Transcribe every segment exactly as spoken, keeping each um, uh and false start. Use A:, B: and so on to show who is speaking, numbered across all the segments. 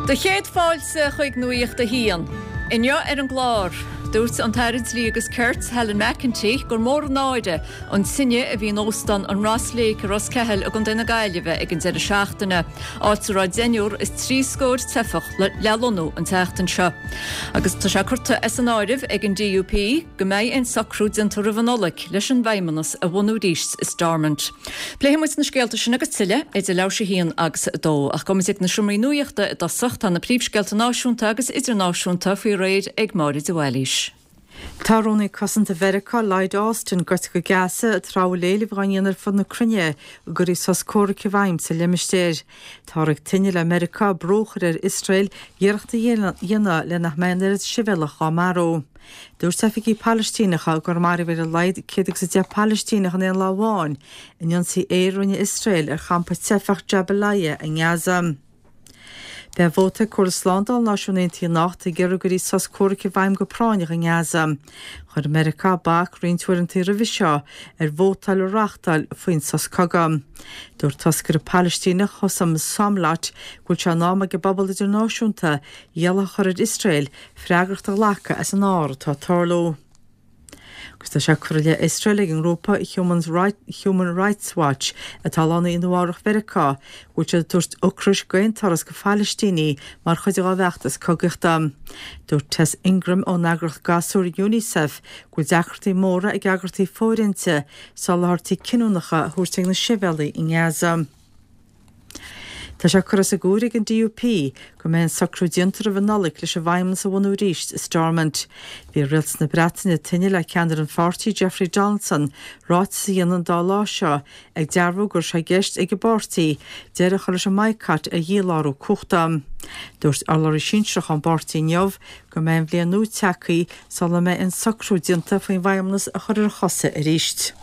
A: Do chéad fáilte chuig Nuacht a hAon. Inniu ar an gclár, dúirt an tAire Dlí agus Cirt Helen McEntee gur mór an náire an tine a bhí in óstán an Ross Lake i Ros Ceathail i gContae na Gaillimhe ag an deireadh seachtaine, áit a raibh deichniúr is trí scór teifeach le lonnú an tseachtain seo. Agus tá sé curtha as an áireamh ag an DUP go mbeidh aon socrú déanta roimh an Nollaig leis an bhFeidhmeannas a bhunú arís i Stormont. Pléifidh muid na scéalta sin agus tuilleadh idir leathuair tar éis a haon agus a dó, ach gabhfaidh muid ag na seomraí nuachta i dtosach tá na príomhscéalta náisiúnta agus idirnáisiúnta faoi réir ag Máire de Bhailís.
B: Tá Rúnaí Cosanta Mheiriceá Lloyd Austin gortaithe go Gaza tráth a bhfuil éilimh á ndéanamh ar fud na cruinne go gcuirfí sos comhraic i bhfeidhm sa limistéar. Táthar ag tnúth le Meiriceá brú a chur ar Iosrael iarracht a dhéanamh le nach mbeidh an oiread sibhialtach á marú. Dúirt oifigigh Palaistíneacha gur maraíodh ar a laghad céad agus a deich Palaistíneach in aon lá amháin in ionsaí aeir a rinne Iosrael ar champa teifeach Jabalia i nGaza. Beidh vóta ag Comhairle Slándála Náisiún Aontaithe anocht ag iarraidh go gcuirfí sos comhraic i bhfeidhm go práinneach i nGaza. Chuir Meiriceá bac roinnt uaireanta roimhe seo ar vótáil a reáchtáil faoin sos cogaidh. Dúirt toscaire Palaistíneach Husam Zomlot go bhfuil sé in am ag an bpobal idirnáisiúnta iallach a chur ar Iosrael freagracht a ghlacadh as an ár atá ag tarlú. Agus tá sé curtha i leith Iosrael ag an ngrúpa Human Rights Watch atá lonnaithe i Nua-Eabhrac Mheiriceá go bhfuil siad ag tabhairt ocrais d'aon turas go Phalaistínigh mar chuid dá bhfeachtas cogaíochta. Dúirt Tess Ingram ón eagraíocht gasúr UNICEF go bhfuil deacrachtaí móra ag eagraíochtaí fóirithinte soláthairtí cinniúnacha a thabhairt ag na sibhialaigh i nGaza. Tá sé curtha as an gcomhaireamh ag an DUP go mbeidh aon socrú déanta roimh an Nollaig leis an bhFeidhmeannas a bhunú arís i Stormont. Bhí rialtas na Breataine ag tnúth le ceannaire an pháirtí Jeffrey Donaldson ráiteas a dhéanamh an dá lá seo ag dearbhú go raibh sé i gceist ag an bpáirtí deireadh a chur leis an mbaghcat ar dhílárú cumhachta. Dúirt urlabhraí sinsearach ón bpáirtí inniu go mbeidh an bhliain nua tagtha sula mbeidh aon socrú déanta faoin bhFeidhmeannas a chur ar a chosa arís.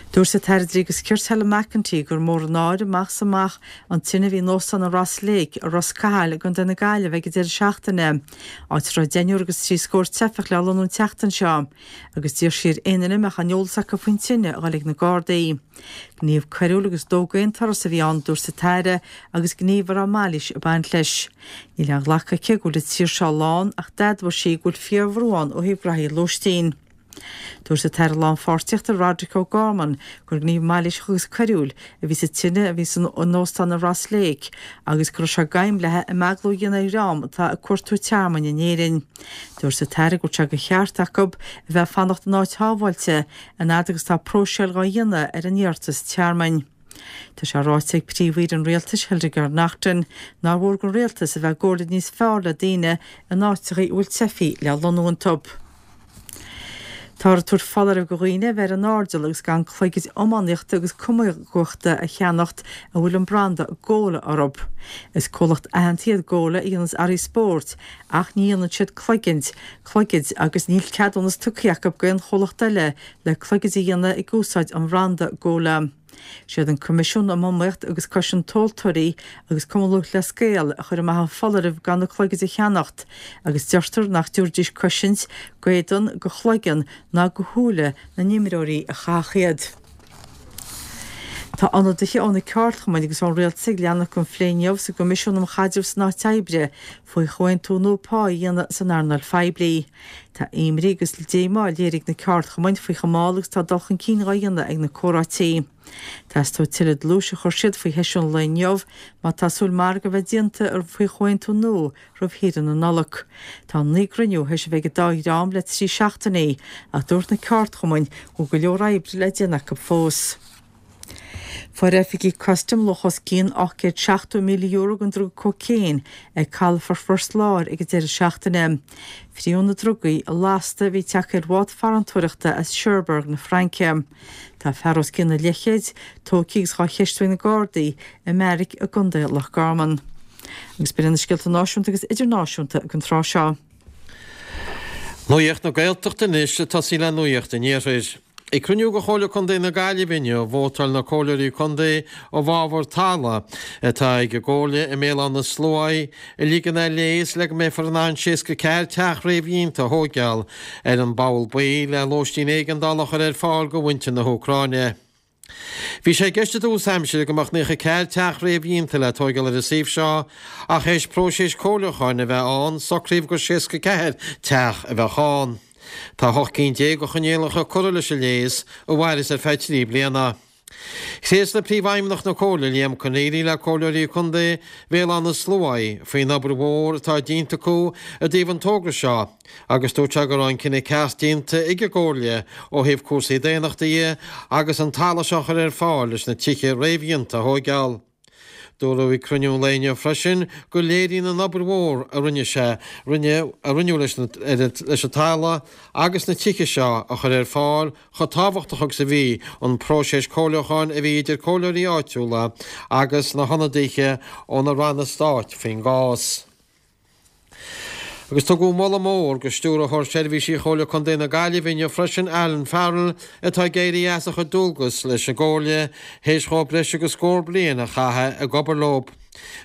B: Dúirt an tAire Dlí agus Cirt Helen McEntee gur mór an náire amach is amach an tine a bhí in óstán an Ross Lake i Ros Cathail i gContae na Gaillimhe ag an deireadh seachtaine, áit a raibh deichniúr agus trí scór teifeach le lonnú an tseachtain seo, agus d'iarr sí ar aon duine a mbeadh aon eolas acu faoin tine a dhul ag na Gardaí. Gníomh coiriúil agus dó d'aon turas a bhí ann, dúirt an tAire, agus gníomh a raibh mailís ag baint leis. Níl aon ghlacadh aici go bhfuil an tír seo lán ach d'admhaigh sí go bhfuil fíorbhrú ann ó thaobh graithí lóistín. Dúirt an tAire Lánpháirtíochta Roderic O'Gorman gur gníomh mailíseach agus coiriúil a bhí sa tine a bhí san óstán i Ross Lake agus go raibh sé d'aidhm léi imeaglú a dhéanamh ar dhream atá ag cuartú tearmainn in Éirinn. Dúirt an tAire go bhfuil sé de cheart acu a bheith ag fanacht in áit shábháilte an fhad agus tá próiseáil dhá dhéanamh ar a n-iarratas tearmainn. Tá sé ráite ag Príomh-Aoire an Rialtais Hildegarde Naughton nár mhór don rialtas a bheith i gcomhairle níos fearr le daoine in áiteacha a bhfuil teifigh le lonnú iontu. Táthar ag tabhairt foláireamh do dhaoine a bheith ar an airdeall agus gan cloigid iománaíochta agus camógaíochta a cheannacht a bhfuil an branda Gola orthu. Is comhlacht aitheanta iad Gola a dhéananns earraí spóirt ach ní dhéanann siad cloigid, cloigid agus níl ceadúnas tugtha acu d'aon chomhlacht eile le cloigid a dhéanamh ag úsáid an bhranda Gola. Siad an Coimisiún um Iomaíocht agus Cosaint Tomhaltóirí agus Cumann Lúthchleas Gael a chuir amach an foláireamh gan na cloigid a cheannacht agus deirtear nach dtabharfaidís cosaint d'éadan, do chloigeann ná do shúile na n-imreoirí a chaithfeadh iad. Tá ionadaithe ó na ceardchumainn agus ón rialtas ag leanacht den phlé inniu sa gCoimisiún um Chaidreamh san Áit Oibre faoi chomhaontú nua pá a dhéanamh san earnáil phoiblí. Tá imní agus díomá léirithe ag na ceardchumainn faoi chomh mall agus tá dul chun cinn dhá dhéanamh ag na comhráití. Teastóidh tuilleadh dlúis a chuir siad faoi sheisiún an lae inniu má tá súil margadh a bheith déanta faoi chomhaontú nua roimh shaoire na Nollag. Tá naoi gcruinniú théis a bheith ag an dá dhream le trí seachtainí ach dúirt na ceardchumainn go bhfuil go leor oibre le déanamh acu fós. Fuair oifigigh custaim luach os cionn ocht gcéad seachtó míle euro den druga cócaon ag calafort Phort Láir ag an deireadh seachtaine. Fríodh na drugaí i lasta a bhí tagtha ar bhád farantóireachta as Cherbourg na Fraince. Tá fear os cionn an leathchéid tógtha agus dhá cheistiú ag na Gardaí i mbeairic i gContae Loch Garman. Agus b'in iad na scéalta náisiúnta agus idirnáisiúnta don tráth seo.
C: Nuacht na Gaeltachta anois ag tosaí le Nuacht an Iarthair. Ag cruinniú de Chomhairle Contae na Gaillimhe inniu, vótáil na Comhairleoirí Contae i bhfabhar talamh atá ag an gComhairle i mBéal Átha na Sluaighe a ligean ar léas le go mbeifear in ann seasca ceathair teach réamhdhéanta a thóigeáil ar an bPoll Buí le lóistín éigeandála a chur ar fáil do mhuintir na hÚcráine. Bhí sé i gceist i dtús aimsire go mbeadh naocha ceathair teach réamhdhéanta le tóigeáil ar an suíomh seo ach théis próiseas comhairliúcháin a bheith ann, socraíodh gur seasca ceathair teach a bheadh ann. Tá ocht gcinn déag de choinníollacha curtha leis an léas, a mhairfeas ar feadh trí bliana. Thréaslaigh Príomhfheidhmeannach na Comhairle, Liam Conneely, le Comhairleoirí Contae Bhéal Átha na Sluaighe faoin obair mhór atá déanta acu i dtaobh an togra seo agus dúirt sé go raibh an cinneadh ceart déanta ag an gComhairle ó thaobh cúrsaí daonnachta dhe agus an talamh seo a chur ar fáil leis na tithe réamhdhéanta a thóigeáil. Dúradh ag cruinniú an lae inniu freisin go léiríonn an obair mhór a rinne sé, rinne, a rinneadh leis na, leis an talamh agus na tithe seo a chur ar fáil chomh tábhachtach agus a bhí an próiseas comhairliúcháin a bhí idir comhairleoirí áitiúla agus na hionadaithe ó na ranna stáit faoin gcás. Agus tugadh moladh mór do Stiúrthóir Seirbhísí Chomhairle Contae na Gaillimhe inniu freisin, Alan Farrell, atá ag éirí as a chuid dualgas leis an gComhairle théis dhó breis agus scór bliain a chaitheamh ag obair leo.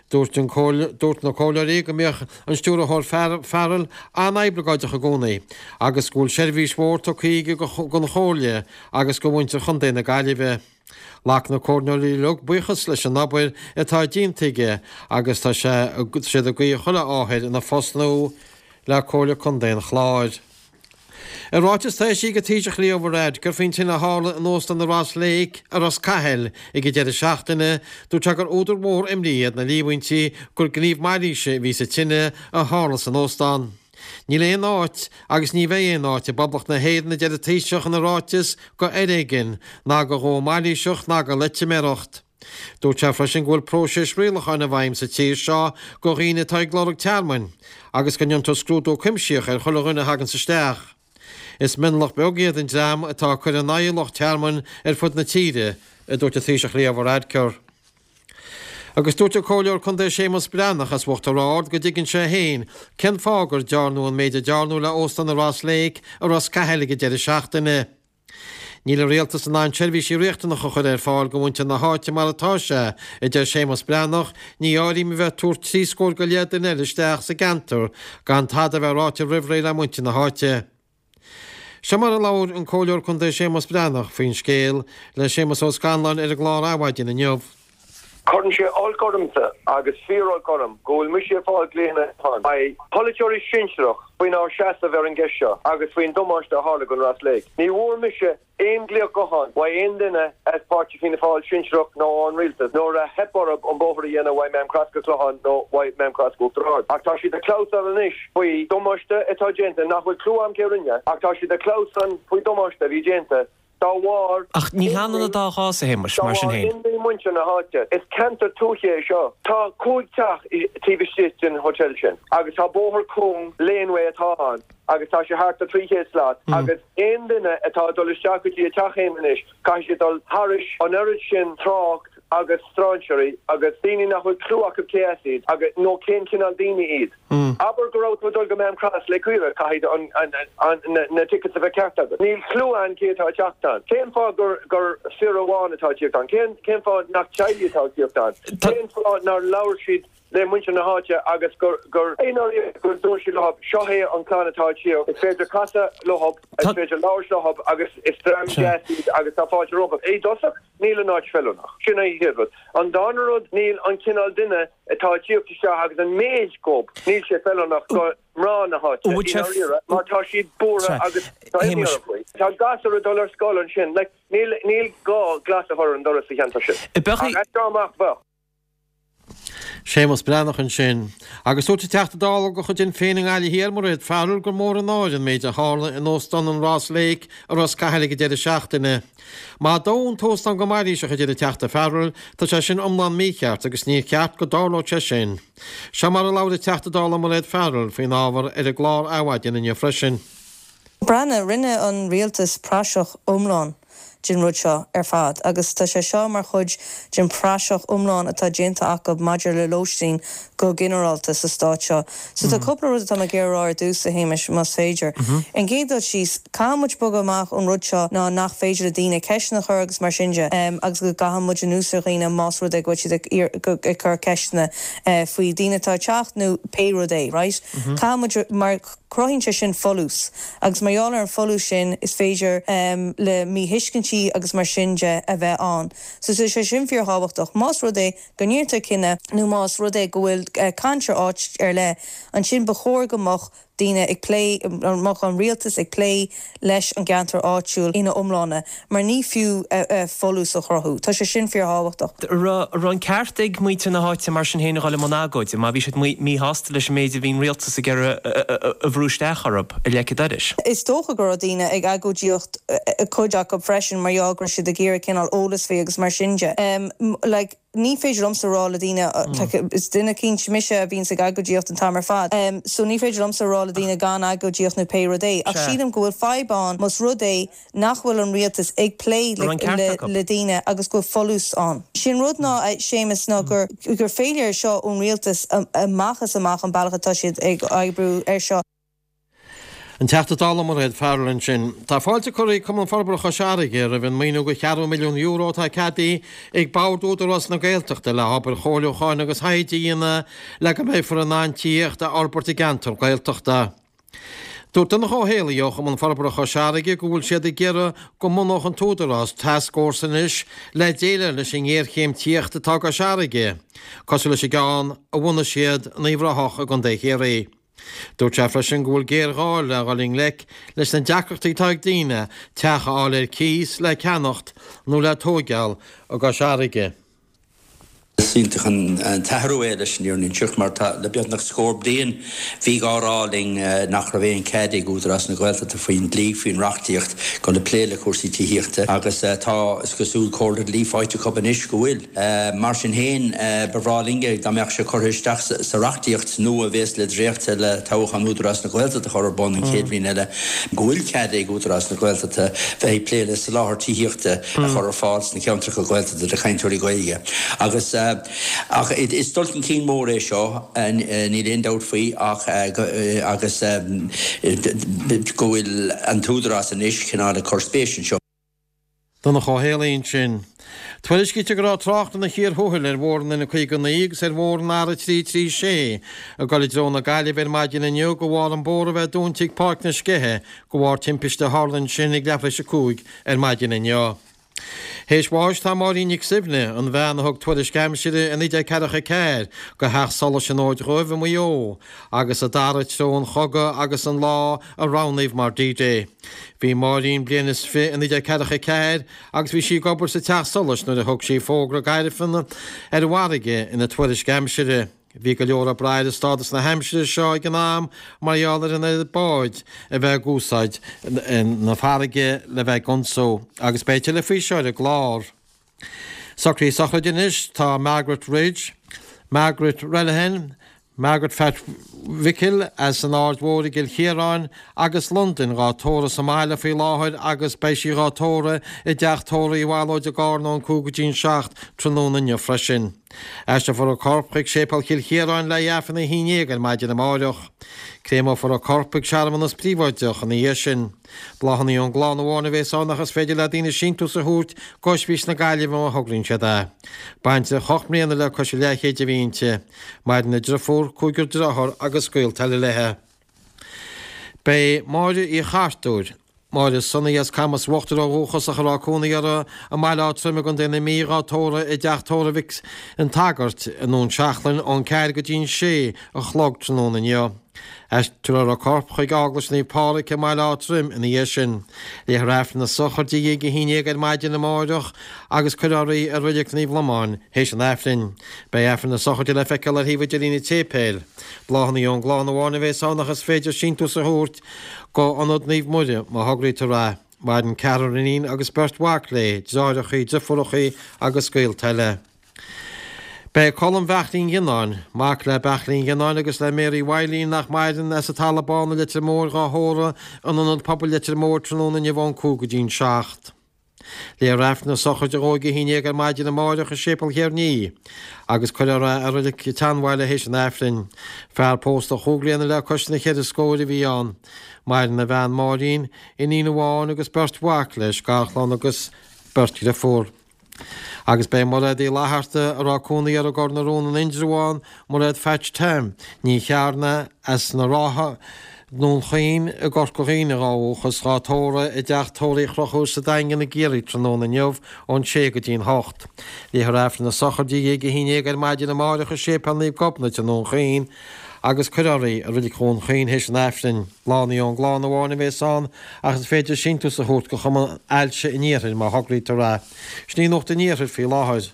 C: Dúirt an Dúirt na comhairleoirí go mbíodh an Stiúrthóir Farrell an-oibleagáideach i gcónaí agus go bhfuil seirbhís mhór tugtha aige don Chomhairle agus do mhuintir Chontae na Gaillimhe. Ghlac na comhairleoirí uilig buíochas leis an obair atá déanta aige agus tá sé siad ag guí chuile ádh air ina phost nua le Comhairle Contae an Chláir. I ráiteas atá eisithe ag an Taoiseach Leo Varadkar faoin tine a tharla in Óstán na Ross Lake i Ros Cathail ag an deireadh seachtaine, dúirt sé gur údar mór imní iad na líomhaintí gur gníomh mailíse a bhí sa tine a tharla san óstán. Níl aon áit agus ní bheidh aon áit i bPoblacht na hÉireann, a deir an Taoiseach ina ráiteas, do fhoréigean, ná do dhó mailíseach ná do loitiméireacht. Dúirt sé freisin go bhfuil próiseas rialacháin i bhfeidhm sa tír seo do dhaoine atá ag lorg tearmainn agus go ndéantar scrúdú cuimsitheach ar chuile dhuine a thaganns isteach. Is mionlach beag iad an dream atá ag cur in aghaidh lucht tearmainn ar fud na tíre, a dúirt an Taoiseach Leo Varadkar. Agus dúirt an Comhairleoir Contae Séamus Breathnach as Uachtar Ard go dtuigeann sé féin cén fáth gur dearnadh an méid a dearnadh le Óstán na Ross Lake i Ros Cathail ag an deireadh seachtaine. Níl an rialtas in ann seirbhísí riachtanacha a chur ar fáil do mhuintir na háite mar atá sé, a deir Séamus Breathnach, ní áirím a bheith ag tabhairt trí scór go leith duine eile isteach sa gceantar gan tada a bheith ráite roimh ré le muintir na háite. Seo mar a labhair an Comhairleoir Contae Séamus Breathnach faoin scéal le Séamus Ó Scanláin ar an gclár Adhmhaidin inniu.
D: Cuireann sé olc ormsa agus fíor-olc orm go bhfuil mise ag fáil glaonna ó pholaiteoirí sinsearach faoinár seasamh ar an gceist seo agus faoin damáiste a tharla don Ross Lake. Ní bhfuair mise aon ghlaoch gutháin uaidh aon duine as páirtí Fianna Fáil sinsearach nó ón rialtas nuair a theip orthu an bóthar a dhéanamh uaidh Maam Cross go Clochán nó uaidh Maam Cross go Uachtar Ard. Ach tá siad ag clamhsán anois faoi damáiste atá déanta nach bhfuil clue a'm cé rinne ach tá siad ag clamhsán faoi damáiste a bhí déanta dá bharr
E: Ach ní hionann an dá chás, a Shéamais,
D: dá
E: mar sin
D: bharr
E: féin.
D: imní muintir na háite. Is ceantar tuaithe é seo. Tá cúig teach taobh istigh den hotel sin agus tá bóthar cúng, laneway atá ann agus tá sé thart ar trí chéad slat agus aon duine atá ag dul isteach go dtí a teach féin anois caithfidh siad dul thairis an oiread sin trácht agus strainséirí agus daoine nach bhfuil clue acu cé as iad agus nó cén cineál daoine iad. Abair go raibh tú ag dul go Maam Cross le caoire, caithfidh an, an, an, na, na tickets a bheith ceart agat. Níl clue ann cé atá ag teacht ann. Cén fáth gur, gur fir amháin atá ag tíocht ann? Cén, cén fáth nach teaghlaigh atá ag tíocht ann? Cén fáth nár labhair siad le muintir na háite agus gur, gur, gur dúirt siad leo, seo é an clann atá ag tíocht, is féidir casadh leo, is féidir labhairt leo agus is dream deas iad agus tá fáilte rompu. I dtosach, níl an áit feiliúnach. Sin an chéad rud. An dara rud, níl an cineál duine atá ag tíocht isteach agus an méid gob, níl sé feiliúnach do mná na háite, i ndáiríre, mar tá siad buartha agus tá imní orthu faoi. Tá gasúir ag dul ar scoil ansin, like, níl, níl gá glas a chur ar an doras sa cheantar sin. Ach as seo amach, bheadh.
C: Séamus Breathnach ansin. Agus dúirt an Teachta Dála de chuid Shinn Féin i nGaillimh Thiar, Mairéad Farrell, gur mór an náire an méid a tharla in Óstán an Ross Lake i Ros Cathail ag an deireadh seachtaine. Má dódh an t-óstán go mailíseach, a deir an Teachta Farrell, tá sé sin iomlán mícheart agus níor cheart go dtarlódh sé sin. Seo mar a labhair an Teachta Dála Mairéad Farrell faoin ábhar ar an gclár Adhmhaidin inniu freisin.
F: Breathnaigh, rinne an rialtas praiseach iomlán den rud seo ar fad agus tá sé seo mar chuid den praiseach iomlán atá déanta acu maidir le lóistín go ginearálta sa stát seo. So tá cúpla rud atá mé ag iarraidh a rá ar dtús, a Shéamais, más féidir. An gcéad dul síos, caithfidh muid bogadh amach ón rud seo ná nach féidir le daoine ceisteanna a chur agus mar sin de agus go gcaithfidh muid anuas ar dhaoine más rud é go bhfuil siad ag cur ceisteanna faoi daoine atá ag teacht nó pé rud é, right? Caithfidh muid mar. Cruthaíonn sé sin folús agus mar gheall ar an folús sin is féidir um, le míthuiscintí agus mar sin de a bheith ann. So so sé sin fíorthábhachtach. Más rud é go ndéantar cinneadh nó más rud é go bhfuil uh, caint ar áit ar leith, ansin ba chóir go mbeadh daoine ag plé mbeadh an rialtas ag plé leis an gceantar áitiúil ina iomláine, mar ní fiú uh, uh, folús a chruthú. Tá sé sin fíorthábhachtach.
E: Raibh an ceart ag muintir na háite mar sin féin a dhul i mbun agóide, má bhí siad míshásta leis an méid a bhí an rialtas ag iarraidh a bhrú isteach orthu i leith dorais.
F: Is dócha go raibh daoine ag agóidíocht cuid acu freisin mar gheall go raibh siad ag iarraidh cineál eolas faoi agus mar sin de. Um, like, ní féidir liomsa rá le daoine mm. is duine cinnte mise a bhíonn ag agóidíocht an t-am ar fad. Um, so ní féidir liomsa rá le daoine gan agóidíocht nó pé rud é. Ach sílim go bhfuil fadhb ann más rud é nach bhfuil an rialtas ag plé le, le, le daoine agus go folús ann. Sin rud ná Séamus ná gur gur féidir seo ón rialtas amach is amach an bealach atá siad ag oibriú ar seo.
C: An Teachta Dála Mairéad Farrell ansin. Tá fáilte curtha ag Cumann Forbartha Chois Fharraige roimh an maoiniú de cheathrú milliún euro atá ceadaithe ag Bord Údarás na Gaeltachta le hobair chomhairliúcháin agus thaighde a dhéanamh le go mbeifear in ann tithíocht a fhorbairt i gceantar Gaeltachta. Dúirt Donncha Ó Héalaí ó Chumann Forbartha Chois Fharraige go bhfuil siad ag iarraidh go mbunódh an tÚdarás tascfhórsa anois le déileáil leis an ngéarchéim tithíochta atá i gCois Fharraige, cosúil leis an gceann a bhunaigh siad in Uíbh Ráthach i gContae Chiarraí. Dúirt sé freisin go bhfuil géarghá le dhul i ngleic leis na deacrachtaí atá ag daoine teach a fháil ar cíos le ceannacht nó le tóigeáil i gCois Fharraige.
G: Is iontach an t-athrú é leis an fhírinne a inseacht mar tá le beagnach scór bliain bhí á rá linn nach raibh aon cead ag Údarás na Gaeltachta faoin dlí faoin reachtaíocht chun le plé le cúrsaí tithíochta agus tá is cosúil comhairle dlí faighte acu anois go bhfuil. Mar sin féin ba bhreá linn dá mbeadh sé curtha isteach sa reachtaíocht nua a bheas le dréachtadh le toghchán Údarás na Gaeltachta a chur ar bun an chéad bhliain eile go bhfuil cead ag Údarás na Gaeltachta bheith ag plé le soláthar tithíochta a chur ar fáil sna ceantracha Gaeltachta do chainteoirí Gaeilge. Agus ach is dul chun cinn mór é seo, níl aon dabht faoi ach agus go bhfuil an tÚdarás anois cineál ag cur spéis anseo.
C: Donncha Ó Héalaí ansin. Tuairiscítear go raibh trácht ina chíor thuathail ar Bhóthar an N caoga naoi agus ar Bhóthar an R trí trí sé ag dul i dtreo na Gaillimhe ar maidin inniu de bharr an bóthar a bheith dúnta ag Páirc na Sceiche de bharr timpiste a tharla ansin ag leathuair tar éis a cúig ar maidin inniu. Théis bháis tá Máirín Nic Suibhne, an bhean a thug tuairisc aimsire i naoi déag ceathracha ceathair go Theach Solais an Fhóid Dhuibh i Maigh Eo agus a d'athraigh treo an chogaidh agus an lá a roghnaíodh mar D-Day. Bhí Máirín bliain is fiche i naoi déag ceathracha ceathair agus bhí sí ag obair sa Teach Solais nuair a thug sí fógra gairfean ar an bhfarraige ina tuairisc aimsire. Bhí go leor ag brath ar stádas na haimsire seo ag an am mar gheall ar an oiread báid a bheith ag úsáid na farraige le bheith ag ionsú agus beidh tuilleadh faoi seo ar an gclár. Socruithe sochraide anois tá Margaret Ridge, Margaret Relihan, Margaret Phat Mhicil as an Aird Mhór i gCill Chiaráin agus Londain dhá tórramh sa mbaile faoi láthair agus beidh sí dhá tórramh i dteach tórraimh Uí Bhallóid i gCarna ón cúig go dtí an seacht tráthnóna inniu freisin. Aistreofar a corp chuig Séipéal Chill Chiaráin le haghaidh Aifreann a haon déag ar maidin amáireach. Créamófar a corp ag searmanas príobháideach ina dhiaidh sin. Bláthanna ón gclann amháin a bhéas ann ach is féidir le daoine síntiús a thabhairt go Ospís na Gaillimhe má thograíonn siad é. Baintreach ocht mbliana le cois a leathchéid a bhí inti. Maireann a driofúr, cúigear dearthár agus gaolta eile léi. Beidh Máire Uí Chartúir, Máire Sonaí as Camas Uachtair ó dhúchas ach a raibh cónaí uirthi i mBaile Átha Troim i gContae na Mí dhá tórramh i dteach tórraimh Mhic an tSagairt i nDún Seachlainn ón ceathair go dtí an sé a chlog tráthnóna inniu. Aistreofar a corp chuig Eaglais Naomh Pádraig i mBaile Átha Troim ina dhiaidh sin. Léifear Aifreann na sochraide i ndiaidh a haon déag ar maidin amáireach agus cuirfear í i Reilig Naomh Lomáin théis an Aifrinn. Beidh Aifreann na sochraide le feiceáil ar shuíomh idirlín an tséipéil. Bláthanna ón gclann amháin a bhéas ann ach is féidir síntiús a thabhairt go Ionad Naomh Muire má thograítear é. Maireann ceathrar iníon agus beirt mhac léi, deartháireacha, deirfiúracha agus gaolta eile. Beidh Colm Bheairtlín Ghionnáin, mac le Beairtlín Ghionnáin agus le Mary Mhaidhlín nach maireann, as an Talamh Bán i Leitir Móir dhá thórramh in Ionad Pobail Leitir Móir tráthnóna inniu ón cúig go dtí'n seacht. Léifear Aifreann na sochraide a dhó go haon déag ar maidin amáireach i Séipéal Chearnaí agus cuirfear é i Reilig an tSeanbhaile théis an Aifrinn. Fear pósta chúig bliana le cois na cheithre scóir a bhí ann. Maireann a bhean Máirín, iníon amháin agus beirt mhac leis, garchlann agus beirt dhriofúr. Agus beidh Mairéad Uí Fhlatharta, a raibh cónaí uirthi i gCor na Rón in Indreabhán, Mairéad Phatch Tom Ní Chearna as na Rátha, nDún Chaoin i gCorca Dhuibhne dhá dhúchas, dhá tórramh i dteach tórraimh Uí Chonchúir sa Daingean i gCiarraí tráthnóna inniu ón sé go dtí'n hocht. Léifear Aifreann na sochraide i ndiaidh a haon déag ar maidin amáireach i Séipéal Naomh Gobnait i nDún Chaoin agus cuirfear í i Reilig Dhún Chaoin théis an Aifrinn. Lá ón gclann amháin a bhéas ann ach is féidir síntiús a thabhairt go Chumann Ailse an Iarthair má thograítear é. Sin í Nuacht an Iarthair faoi láthair.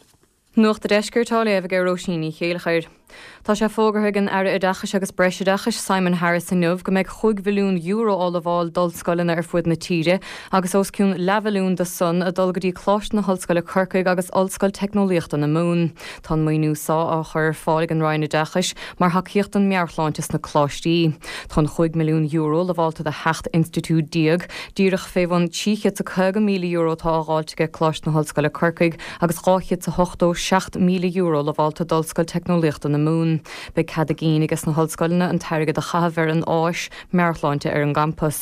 H: Nuacht an Deiscirt á léamh ag Róisín Ní Chéilleachair. Tá sé fógartha ag an Aire Oideachais agus Breisoideachais Simon Harris inniu go mbeidh chúig mhilliún euro á lamháil d'ollscoileanna ar fud na tíre agus os cionn leathmhilliún de san ag dul go dtí Coláiste na hOllscoile Corcaigh agus Ollscoil Teicneolaíochta na Mumhan. Tá an maoiniú so á chur ar fáil ag an Roinn Oideachais mar thacaíocht don meabhairshláinte sna coláistí. Tá an chúig milliún euro lamháilte do sheacht institiúid déag, díreach fé bhun trí chéad is caoga míle euro atá á dháileadh ag Coláiste na hOllscoile Corcaigh agus dhá chéad is a hochtó seacht míle euro lamháilte d'Ollscoil Teicneolaíochta na Mumhan. Beidh cead a gcinn aige sna hollscoileanna an t-airgead a chaitheamh ar an áis meabhairshláinte ar an gcampas.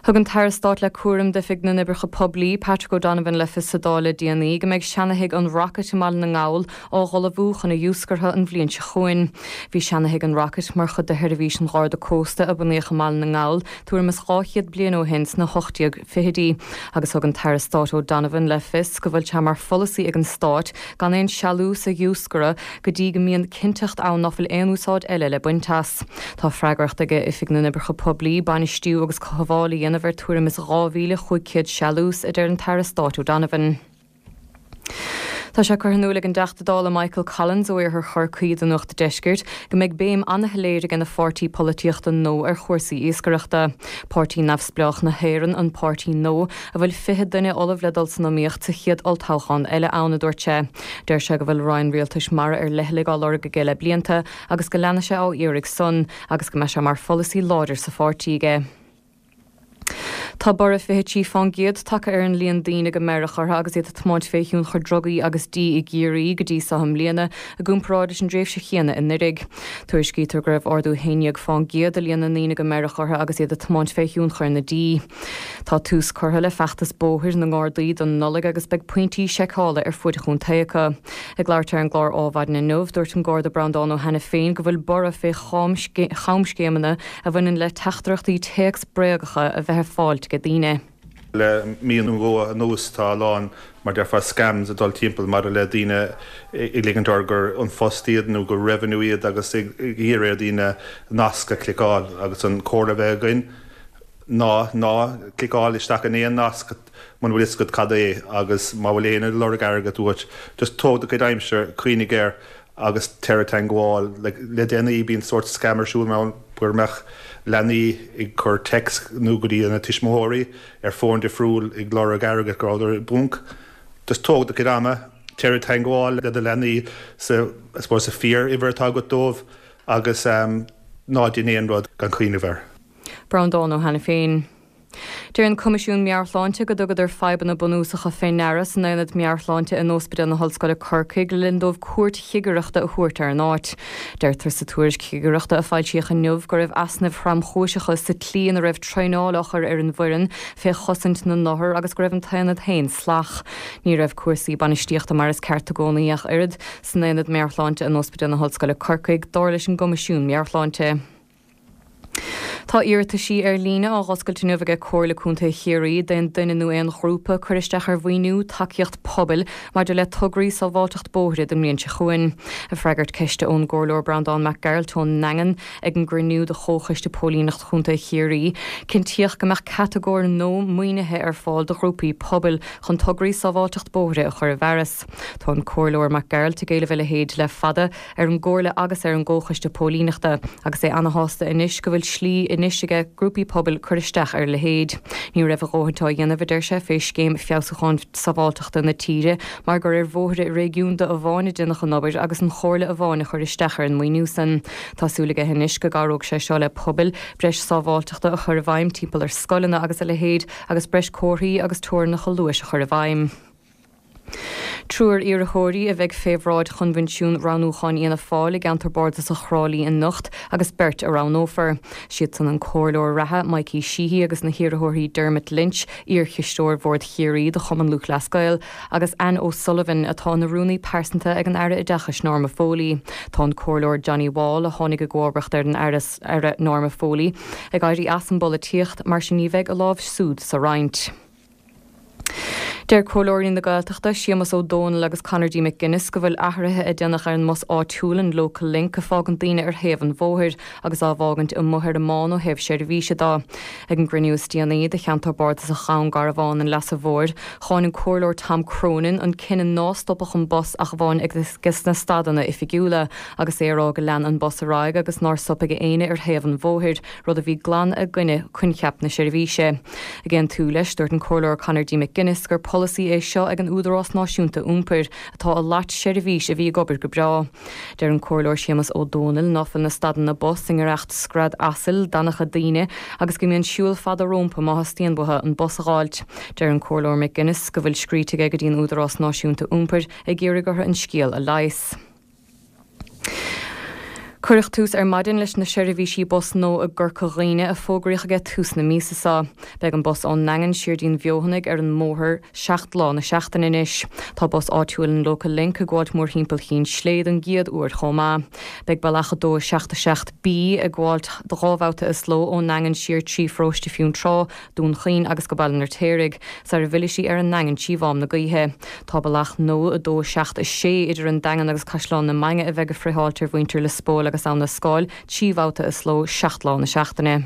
H: Thug an tAire Stáit le cúram d'Oifig na nOibreacha Poiblí, Patrick O'Donovan le fios sa Dáil le déanaí go mbeidh seanathigh an Rocket i mBaile na nGall á dh'ullmhú chun a dhiúscartha an bhliain seo chugainn. Bhí seanathigh an Rocket mar chuid de sheirbhís an Gharda Cósta a bunaíodh i mBaile na nGall tuairim is dhá chéad bliain ó shin sna hocht déag fichidí agus thug an tAire Stáit O'Donovan le fios go bhfuil sé mar pholasaí ag an Stát gan aon sealús a dhiúscaradh go dtí go mbíonn cinnteacht ann ná fuil aon úsáid eile le baint as. Tá freagracht ag Oifig na nOibreacha Poiblí bainistiú agus cothabháil a dhéanamh ar tuairim is dhá mhíle chúig chéad sealús, a deir an tAire Stáit O'Donovan. Tá sé curtha in iúl ag an dTeachta Dála Michael Collins ó Iarthar Chorcaí do Nuacht an Deiscirt go mbeidh béim an-shoiléir ag a pháirtí polaitíochta Nó ar chúrsaí iascaireachta. Páirtí Neamhspleách na hÉireann an páirtí Nó a bhfuil fiche duine ullamh le dul san iomaíocht sa chéad olltoghchán eile ann, a dúirt sé. Deir sé go bhfuil roinn rialtais mara ar leithligh á lorg aige le blianta agus go leanfaidh sé á iarraidh san agus go mbeidh sé mar pholasaí láidir sa pháirtí aige. Tá borradh fiche trí fán gcéad tagtha ar an líon daoine go mbeirtheach orthu agus iad ag tiomáint fé thionchar drugaí agus dí i gCiarraí go dtí so i mbliana, i gcomparáid leis an dtréimhse chéanna anuiridh. Tuairiscítear go raibh ardú haon déag fán gcéad i líon na ndaoine go mbeirtheach orthu agus iad ag tiomáint fé thionchar na dí. Tá tús curtha le feachtas bóthair na nGardaí don Nollaig agus beidh pointí seiceála ar fuaid an chontae acu. Ag labhairt ar an gclár Ádhmhaidin inniu, dúirt an Garda Breandán Ó hAiniféin go bhfuil borradh fé chamscéimeanna a bhaineann le teachtaireachtaí téacs bréagacha a bheith ar fáilt ag daoine.
I: Le mí nó dhó anuas tá a lán, mar déarfá, scams ag dul timpeall maidir le daoine ag ligint orthu gur An Post iad nó gur Revenue iad agus ag iarraidh ar dhaoine nasc a chliceáil agus an comhairle a bheadh againn ná ná cliceáil isteach in aon nasc muna bhfuil fhios agat cad é agus má bhfuil éinne ag lorg airgead uait just tóg do chuid aimsire, cuimhnigh air agus téir i dteangmháil le déanaí bíonn sórt scam ar siúl mar go mbeadh leanaí ag cur text nó go dtí na tuismitheoirí ar fón difriúil ag lorg airgead go rabhadar i bponc. Just tóg do chuid ama, téir i dteangmháil le do leanaí sa I suppose sa fíor uimhir atá agat dóibh agus ná déan aon rud gan cuimhneamh air.
H: Breandán Ó hAiniféin. Deir an Coimisiún Meabhair-Shláinte go dtugadar fadhbanna bunúsacha fé ndeara san Aonad Meabhair-Shláinte in Ospidéal na hOllscoile Corcaigh le linn dóibh cuairt chigireachta a thabhairt ar an áit. Deirtear sa tuairisc chigireachta a foilsíodh inniu go raibh easnaimh thromchúiseacha sa tslí ina raibh traenáil á chur ar an bhfoireann fé chosaint na n-othar agus go raibh an t-aonad féin salach. Ní raibh cúrsaí bainistíochta mar is ceart i gcónaí ach oiread san Aonad Meabhair-Shláinte in Ospidéal na hOllscoile Corcaigh, dar leis an gCoimisiún Meabhair-Shláinte. Tá iarrataisí ar líne á dh'oscailt inniu aige Comhairle Contae Chiarraí d'aon duine nó aon ghrúpa cur isteach ar mhaoiniú tacaíocht pobail maidir le tograí sábháilteacht bóithre don mbliain seo chugainn. Ag freagairt ceiste ón gComhairleoir Breandán Mac Gearailt ón nDaingean ag an gcruinniú de Chomhchoiste Póilíneacht Chontae Chiarraí, cinntíodh go mbeadh catagóir nua maoinithe ar fáil do ghrúpaí pobail chun tograí sábháilteacht bóithre a chur i bhfearas. Tá an Comhairleoir Mac Gearailt ag éileamh a leithéid le fada ar an gComhairle agus ar an gComhchoiste Póilíneachta agus é ana-shásta anois go bhfuil slí anois aige grúpaí pobail cur isteach ar a leithéid. Ní raibh a dhóthaint á dhéanamh, a deir sé, fé Scéim Feabhsúcháin Sábháilteachta na tíre mar gur ar bhóithre réigiúnda amháin a déanadh an obair agus an Chomhairle amháin a chuir isteach ar an maoiniú san. Tá súil aige anois go gcabhróidh sé seo le pobail breis sábháilteachta a chur i bhfeidhm timpeall ar scoileanna agus a leithéid agus breis comharthaí agus teorainneacha luais a chur i bhfeidhm. Triúr iarrthóirí a bheidh fé bhráid Choinbhinsiún Roghnúcháin Fhianna Fáil i gceantar bardasach Thrá Lí anocht agus beirt a roghnófar. Siadsan an comhairleoir reatha Mikey Sheehy agus na hiarrthóirí Dermot Lynch, iarchisteoir Bhord Chiarraí do Chumann Lúthchleas Gael, agus Anne O'Sullivan atá ina rúnaí pearsanta ag an Aire Oideachais Norma Foley. Tá an comhairleoir Johnny Wall, a tháinig i gcomharbacht ar an Aire Norma Foley, ag éirí as an bpolaitíocht, mar sin ní bheidh a lámh siúd sa roinnt. Deir Comhairleoirí na Gaeltachta Séamus Ó Dónaill agus Conor D. McGuinness go bhfuil athruithe a déanadh ar an mbus áitiúil an Local Link ag fágaint daoine ar thaobh an bhóthair agus á bhfágaint amuigh ar an mbán ó thaobh seirbhíse de. Ag an gcruinniú is déanaí de cheantar bardasach Dhún Garbhán an Leasa Mhóir, cháin an Comhairleoir Tom Cronin an cinneadh ná stopfadh an bus ach amháin ag na stadanna oifigiúla agus é ag rá go lean an bus ar aghaidh agus nár stop ag éinne ar thaobh an bhóthair, rud a bhí glan i gcoinne coincheap na seirbhíse. Ag aontú leis, dúirt an Comhairleoir Conor D. McGuinness gur polasaí é seo ag an Údarás Náisiúnta Iompair atá ag loit seirbhís a bhí ag obair go breá. Deir an Comhairleoir Séamus Ó Dónaill ná fuil na stadanna bus i ngiorracht scread asail d'annacha daoine agus go mbíonn siúl fada rompu má theastaíonn uathu an bus a fháilt. Deir an Comhairleoir McGuinness go bhfuil scríte aige go dtí an Údarás Náisiúnta Iompair ag iarraidh orthu an scéal a leigheas. Cuireadh tús ar maidin leis na seirbhísí bus nua i gCorca Dhuibhne a fógraíodh ag tús na míosa seo. Beidh an bus ón nDaingean siar dtí'n bhFeothanaigh ar an mbóthar seacht lá na seachtaine anois. Tá bus áitiúil an Local Link ag gabháilt mórthimpeall Chinn Slé don gcéad uair chomh maith. Beidh bealach a dó seacht a seacht B ag gabháilt dhá bhabhta is ló ón nDaingean siar trí Pharóiste Fionntrá, Dún Chaoin agus go Baile an Fheirtéaraigh, sar a bhfillfidh sí ar an nDaingean trí Mhám na Gaoithe. Tá bealach nua a dó seacht a sé idir an Daingean agus Caisleán na Mainge a bheidh ag friotháilt ar mhuintir Lios Póil agus Abha na Scáil trí bhabhta is ló seacht lá na seachtaine.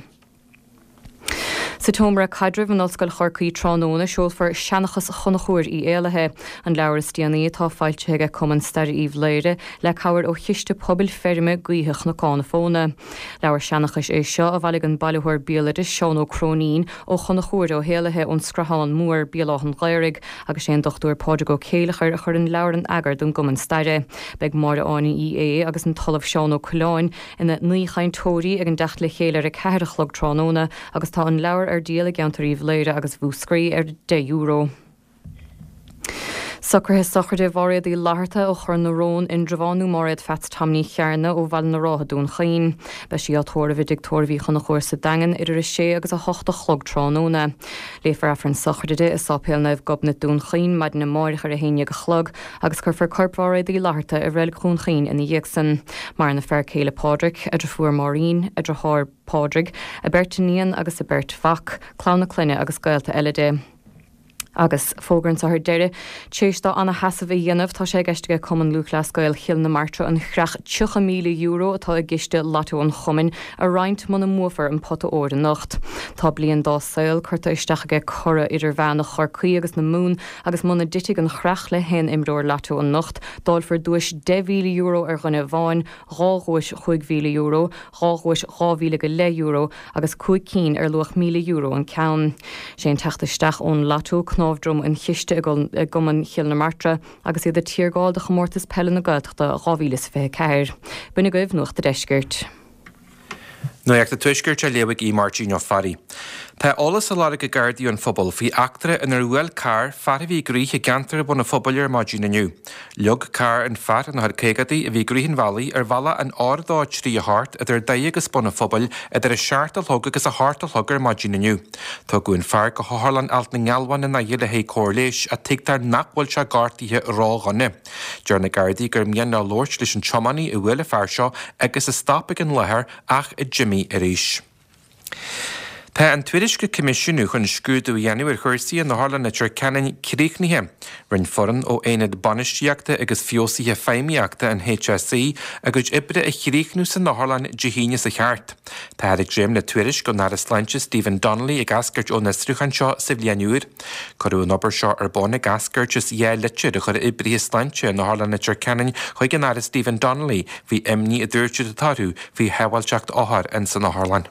H: Sa tSeomra Caidrimh in Ollscoil Chorcaí tráthnóna seolfar Seanchas Chonchúir Uí Éalaithe, an leabhar is déanaí atá foilsithe ag Cumann Staire Uíbh Laoghaire le cabhair ó Chiste Pobail Feirme Gaoithe Chnocán na Fóna. Leabhar seanchais é seo a bhailigh an bailitheoir béaloidis Seán Ó Cróinín ó Chonchúr Ó hÉalaithe ón Scrathán Mór, Béal Átha an Ghaorthaidh, agus sé an Dochtúir Pádraig Ó Céileachair a chuir an leabhar in eagar don gCumann Staire. Beidh Máire Áine Uí Aodha agus an tOllamh Seán Ó Coileáin ina n-aoichainteoirí ag an dteacht le chéile ar a ceathair a chlog tráthnóna agus tá an leabhar ar díol i gceantar Uíbh Laoghaire agus Mhúscraí ar deich euro. Socruithe sochraide Mháiréad Uí Fhlatharta ó Chor na Rón, Indreabhán nó Máiréad Pheats Tom Ní Chearna ó Bhaile na Rátha Dún Chaoin. Beidh sí á tórramh i dtigh tórraimh Uí Chonchúir sa Daingean idir a sé agus a hocht a chlog tráthnóna. Léifear Aifreann sochraide di i Sáipéal Naomh Gobnait Dún Chaoin maidin amáireach ar a haon déag a chlog agus cuirfear corp Mháiréad Uí Fhlatharta i Reilig Dhún Chaoin ina dhiaidh san. Maireann a fear céile Pádraig, a deirfiúr Máirín, a deartháir Pádraig, a beirt iníon agus a beirt mhac, clann a clainne agus gaolta eile di. Agus fógra anseo ar deireadh, tar éis dó ana-sheasamh a dhéanamh, tá sé i gceist aige Cumann Lúthchleas Gael Chill na Martra an chreach tríocha míle euro atá i gciste Lotto an chumainn a roinnt muna mbuafar an pota óir anocht. Tá bliain dá saol curtha isteach aige curaidh idirmheánach Chorcaí agus na Mumhan agus muna dtitfidh an chreach le haon imreoir Lotto anocht, dáilfear duais deich mhíle euro ar dhuine amháin, dhá dhuais chúig mhíle euro, dhá dhuais dhá mhíle go leith euro agus cúig cinn ar luach míle euro an ceann. Sé an teacht isteach ón Lotto cnámh droma an chiste i gCumann Chill na Martra agus iad ag tiargáil do Chomórtas Peile na Gaeltachta dhá mhíle is fiche a ceathair. B'in agaibh Nuacht a' Deiscirt.
J: Nuacht an Tuaiscirt á léamh ag Aodh Máirtín Ó Fearraigh. Tá eolas á lorg ag Gardaí ón phobal faoi eachtra inar bhuail carr fear a bhí ag rith i gceantar Bhun an Phobail ar maidin inniu. Leag carr an fear ina chuid caogaidí a bhí ag rith an bhealaigh ar bhealach an R a dó trí a hocht idir Doire agus Bun an Phobail idir a seacht a chlog agus a hocht a chlog ar maidin inniu. Tugadh an fear go hOtharlann Ailt na nGealbhan i nDoire le haghaidh cóir leighis ach tuigtear nach bhfuil sé gortaithe ródhona. Deir na Gardaí gur mian leo labhairt leis an tiománaí a bhuail an fear seo agus a stop ag an láthair ach a d'imigh arís. Tá an tuairisc a coimisiúnadh chun scrúdú a dhéanamh ar chúrsaí in Otharlann Leitir Ceanainn críochnaithe. Rinne foireann ó Aonad Bainistíochta agus Feabhsaithe Feidhmíochta an H S E a gcuid oibre a chríochnú san otharlann Dé hAoine seo thart. Táthar ag dréim le tuairisc ón Aire Sláinte Stephen Donnelly ag eascairt ón fhiosrúchán seo sa bhliain úr. Cuireadh an obair seo ar bun ag eascairt as dhá litir a chuir oibrithe sláinte in Otharlann Leitir Ceanainn chuig an Aire Stephen Donnelly faoi imní a dúirt siad atá orthu faoi shábháilteacht othar in san otharlann.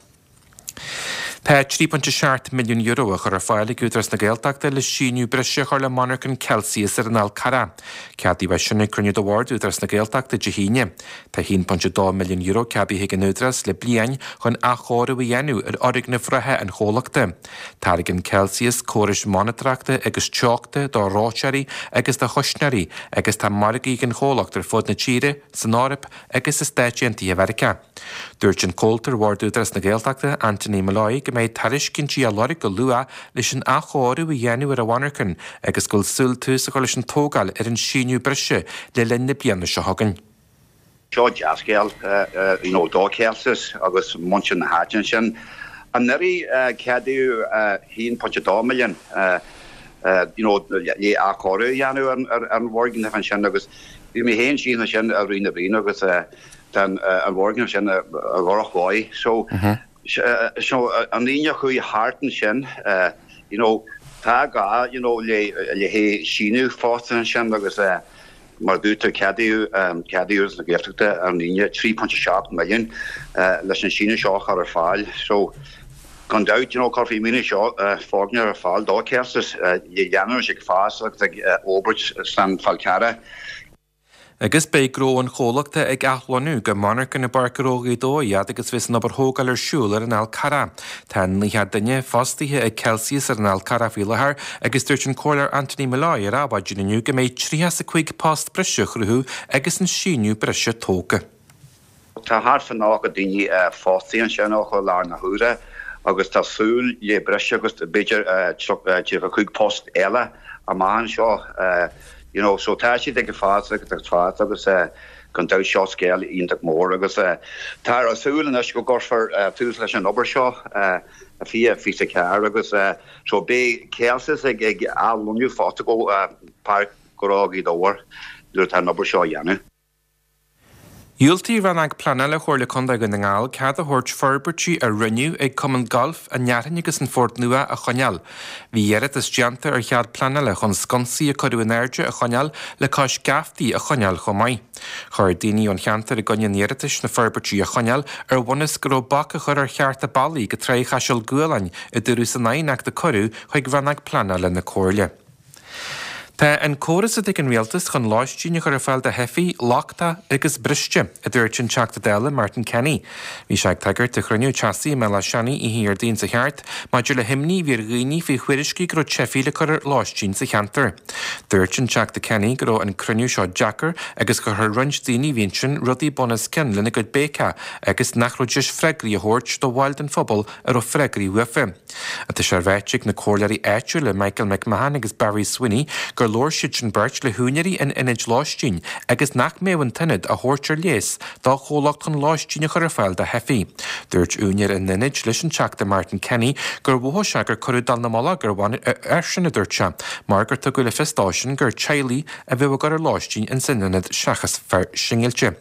J: Tá trí pointe seacht milliún euro á chur ar fáil ag Údarás na Gaeltachta le síneadh breise a chur le monarchan Kelsius ar an Fhál Carrach. Ceadaíodh é sin ag cruinniú de Bhord Údarás na Gaeltachta Dé hAoine. Tá a haon pointe dó milliún euro ceadaithe ag an Údarás le bliain chun athchóiriú a dhéanamh ar fhoirgnimh reatha an chomhlachta. Tairgeann Kelsius córais monatóireachta agus teochta do reoiteoirí agus do chuisneoirí agus tá margaí ag an chomhlacht ar fud na tíre, san Eoraip agus i Stáit Aontaithe Mheiriceá. Dúirt an comhalta ar Bhord Údarás na Gaeltachta, Anthony Molloy, go mbeidh tairiscintí á lorg go luath leis an athchóiriú a dhéanamh ar an mhonarchan agus go bhfuil súil tús a chur leis an tógáil ar an síneadh breise le linn na bliana seo chugainn.
K: Seo dea-scéal you know do Kelsius agus muintir na háite ansin. Anuraidh ceadaíodh a haon pointe dó milliún you know le athchóiriú a dhéanamh ar an bhfoirgneamh ansin agus bhí mé féin síos ansin i rith na bliana agus tá an bhfoirgneamh sin i ndrochdhóigh. So so an daoine a chuaigh thart ansin you know tá gá you know le le haghaidh síneadh fosta ansin agus mar dúirt tú ceadaíodh ceadaíodh na Gaeltachta ar an Aoine trí pointe seacht milliún leis an síneadh seo a chur ar fáil. So gan dabht you know cuirfidh an maoiniú seo foirgneamh ar fáil do Kelsius le leanúint ag fás agus ag forbairt san Fál Carrach.
J: Agus beidh gnó an chomhlachta ag athlonnú go monarchan i bPáirc Ghnó Ghaoth Dobhair fhad agus bheas an obair thógáil ar siúl ar an Fhál Carrach. Tá naocha duine fostaithe ag Kelsius ar an Fhál Carrach faoi láthair agus dúirt an Comhairleoir Anthony Molloy ar Adhmhaidin inniu go mbeidh tríocha is a cúig post breise á chruthú agus an síneadh breise tógtha.
K: Tá thart fá nócha daoine fostaithe ansin ó i láthair na huaire agus tá súil le breis agus b'fhéidir tríocha cúig post eile amach anseo. You know, so tá siad ag fás agus ag fás agus gan dabht seo scéal iontach mór agus tá a súil anois go gcuirfear tús leis an obair seo i fiche fiche a ceathair agus so beidh Kelsius ag ag athlonnú fosta go Páirc Ghnó Ghaoth Dobhair nuair atá an obair seo á dhéanamh.
J: Dhiúltaigh Rannóg Pleanála Chomhairle Contae Dhún na nGall cead a thabhairt forbairtí a rinneadh ag Cumann Gailf an Fhearthainn agus an Phort Nua a choinneáil. Bhí iarratas déanta ar chead pleanála chun sconsaí a cuireadh in airde a choinneáil le cois geaftaí a choinneáil chomh maith. Chuir daoine ón cheantar i gcoinne an iarratais na forbairtí a choinneáil ar bhunús go raibh bac á chur ar chearta bealaí go Tráigh Chaiseal Gualáin a dúradh san aighneacht a cuireadh chuig Rannóg Pleanála na Comhairle. Tá an córas atá ag an rialtas chun lóistín a chur ar fáil do theifigh lochtach agus briste, a dúirt an Teachta Dála Martin Kenny. Bhí sé ag tagairt do chruinniú teasaí i mBéal Átha Seanaidh oíche Dhéardaoin seo thart maidir le himní a bhí ar dhaoine faoi thuairiscí go raibh teifigh le cur ar lóistín sa cheantar. Dúirt an Teachta Kenny go raibh an cruinniú seo deacair agus gur chuir roinnt daoine a bhí ansin rudaí bunoscionn lena gcuid béiceach agus nach raibh deis freagraí a thabhairt do bhaill den phobal a raibh freagraí uafa. Tá sé ráite ag na comhairleoirí áitiúla Michael McMahon agus Barry Sweeney gur labhair siad sin beirt le húinéirí an ionaid lóistín agus nach mbeadh an t-ionad á thabhairt ar léas do chomhlacht chun lóistín a chur ar fáil do theifigh. Dúirt úinéir an ionaid leis an Teachta Martin Kenny gur mhothaigh sé gur cuireadh dallamullóg airsean, a dúirt sé, mar gur tugadh le fios dósan gur teaghlaigh a bheadh á gcur ar lóistín ins an ionad seachas fir singilte.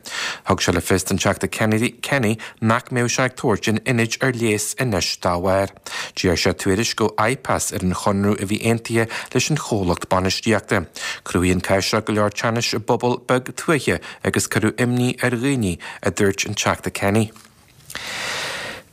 J: Thug sé le fios don Teachta Kenny nach mbeadh sé ag tabhairt an ionaid ar léas anois dá bharr. D'iarr sé tuairisc ó IPAS ar an chonradh a bhí aontaithe leis an chomhlacht bainistíochta. Chruthaigh an cás seo go leor teannais i bpobal beag tuaithe agus cuireadh imní ar dhaoine, a dúirt an Teachta Kenny.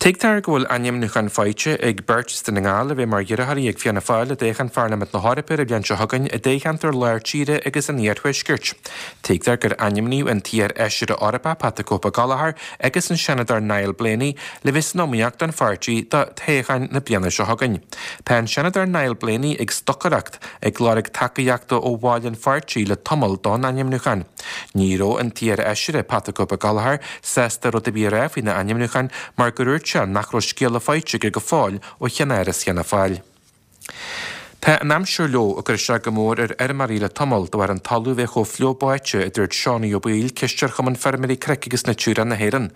J: Tuigtear go bhfuil ainmniúchán faighte ag beirt as Dún na nGall a bheidh mar iarrthóirí ag Fianna Fáil i dtoghchán Pharlaimint na hEorpa ar an bhliain seo chugainn i dtoghcheantar Lár Tíre agus an Iarthuaiscirt. Tuigtear gur ainmníodh an t-iar-fheisire Eorpach Pat the Cope Gallagher agus an Seanadóir Niall Blaney le bheith san iomaíocht don pháirtí do thoghchán na bliana seo chugainn. Tá an Seanadóir Niall Blaney ag stocaireacht ag lorg tacaíochta ó bhaill an pháirtí le tamall don ainmniúchán. Ní raibh an t-iar-fheisire Pat the Cope Gallagher sásta rud ar bith a rá faoina ainmniúchán mar gur dhúirt sé nach raibh scéala faighte aige go fóill ó cheannáras Fhianna Fáil. Tá an aimsir leo ag cur isteach go mór ar fheirmeoirí le tamall de bharr an talamh bheith chomh fliuch báite, a dúirt Seánie Ó Baoill, cisteoir Chumann Feirmeoirí Cnoic agus Natura na hÉireann.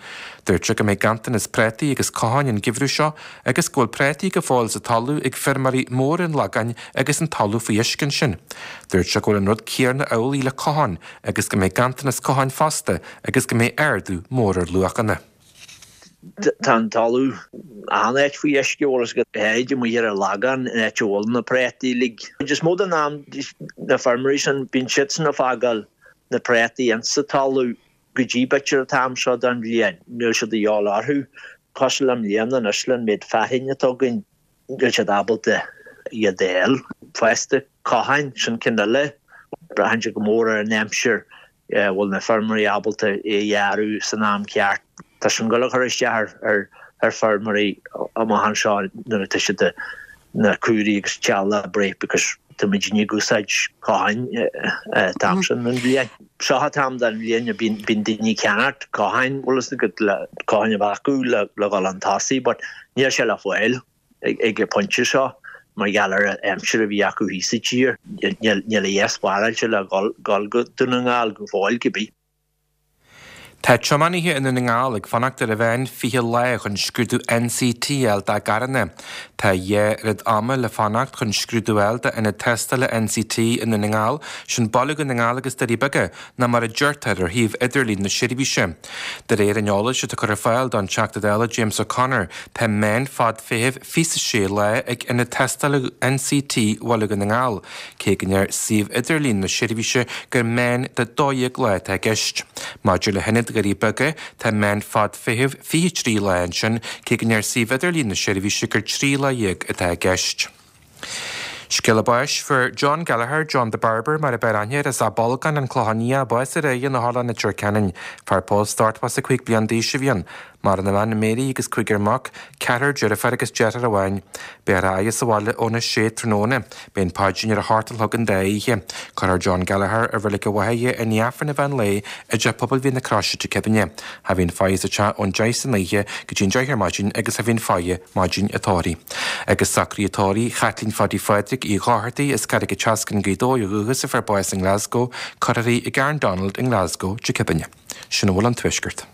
J: Dúirt sé go mbeidh ganntanas prátaí agus cotháin an geimhreadh seo agus go bhfuil prátaí go fóill sa talamh ag feirmeoirí móra an Lagáin agus an talamh faoi uisce ansin. Dúirt sé go bhfuil an rud céanna amhlaidh le cotháin agus go mbeidh ganntanas cotháin fosta agus go mbeidh ardú mór ar luachanna.
L: Tá an talamh an-áit faoi uisce agus go háirid amuigh ar an Lagán in áit a bhfuil na prátaí uilig. Is mó den am na feirmeoirí sin bíonn siadsan ag fágáil na prátaí insa talamh go dtí b'fhéidir an t-am seo den bhliain. Níl siad a dhíobháil orthu. Cosúil le i mbliana anois le an méid fearthainn atá againn, níl siad ábalta iad a fháil. Fosta, cotháin, sin ceann eile. Braitheann sé go mór ar an aimsir, bhfuil na feirmeoirí ábalta é a ghearradh san am ceart. Tá sin ag dul a chur isteach ar ar feirmeoirí amach anseo nuair atá siad na cúraí agus tealla a bruith because tá muidne ag úsáid cotháin an t-am sin den bhliain. Seo an t-am den bhliain a bíonn bíonn daoine ag ceannacht cotháin, bhfuil fhios agat, le cotháin a bheith acu le le dhul chun tosaigh but níl sé le fáil ag an pointe seo mar gheall ar an aimsir a bhí acu thíos sa tír. Níl níl a dhath spáráilte le dhul dhul go Dún na nGall go fóill cibé.
J: Tá tiománaithe i nDún na nGall ag fanacht ar a mheán fiche lá chun scrúdú N C T a fháil dá gcarranna. Tá a dhá oiread ama le fanacht chun scrúdú a fháil d'ionaid tástála N C T i nDún na nGall, sin Baile Dhún na nGall agus Doirí Beaga, ná mar a deirtear ar shuíomh idirlín na seirbhíse. De réir an eolais atá curtha ar fáil don Teachta Dála James O'Connor, tá meán fad feithimh fiche a sé lá ag ionad tástála N C T Bhaile Dhún na nGall, cé go ndeir suíomh idirlín na seirbhíse gur meán de dó dhéag lá atá i gceist. Maidir le hionad Dhoirí Beaga, tá meán fad feithimh fiche trí lá ansin, cé go ndeir suíomh idirlín na seirbhíse gur trí lá dhéag atá i gceist. Scéala báis, Fuair John Gallagher, John the Barber mar a b'fhearr aithne air, as Áth Bolgáin, An Clochán Liath, bás aréir in Otharlann Leitir Ceanainn. Fear pósta ochtó is a cúig bliain d'aois a bhí ann. Maireann a bhean Mary agus cúigear mac, ceathrar deirfiúr agus deartháir amháin. Beifear á fhaire sa bhaile óna sé tráthnóna. Beidh an paidrín ar a hocht a chlog an dá oíche. Cuirfear John Gallagher i Reilig a Mhaighe i ndiaidh Aifreann an mheán lae i dTeach Pobail Mhín na Croise, Tigh Kebine. Cha bhíonn faire sa teach ón deich san oíche go dtí an deich ar maidin agus cha bhíonn faire maidin an tórraimh. Agus socruithe tórraimh Chaitlín Phaddy Phádraig Uí Dhochartaigh as Carraig an tSeascainn, Gaoth Dobhair ó dhúchas a fuair bás i nGlasgow, cuirfear í i gCarn Donald i nGlasgow, Tigh Kebine. Sin a bhfuil ón Tuaisceart.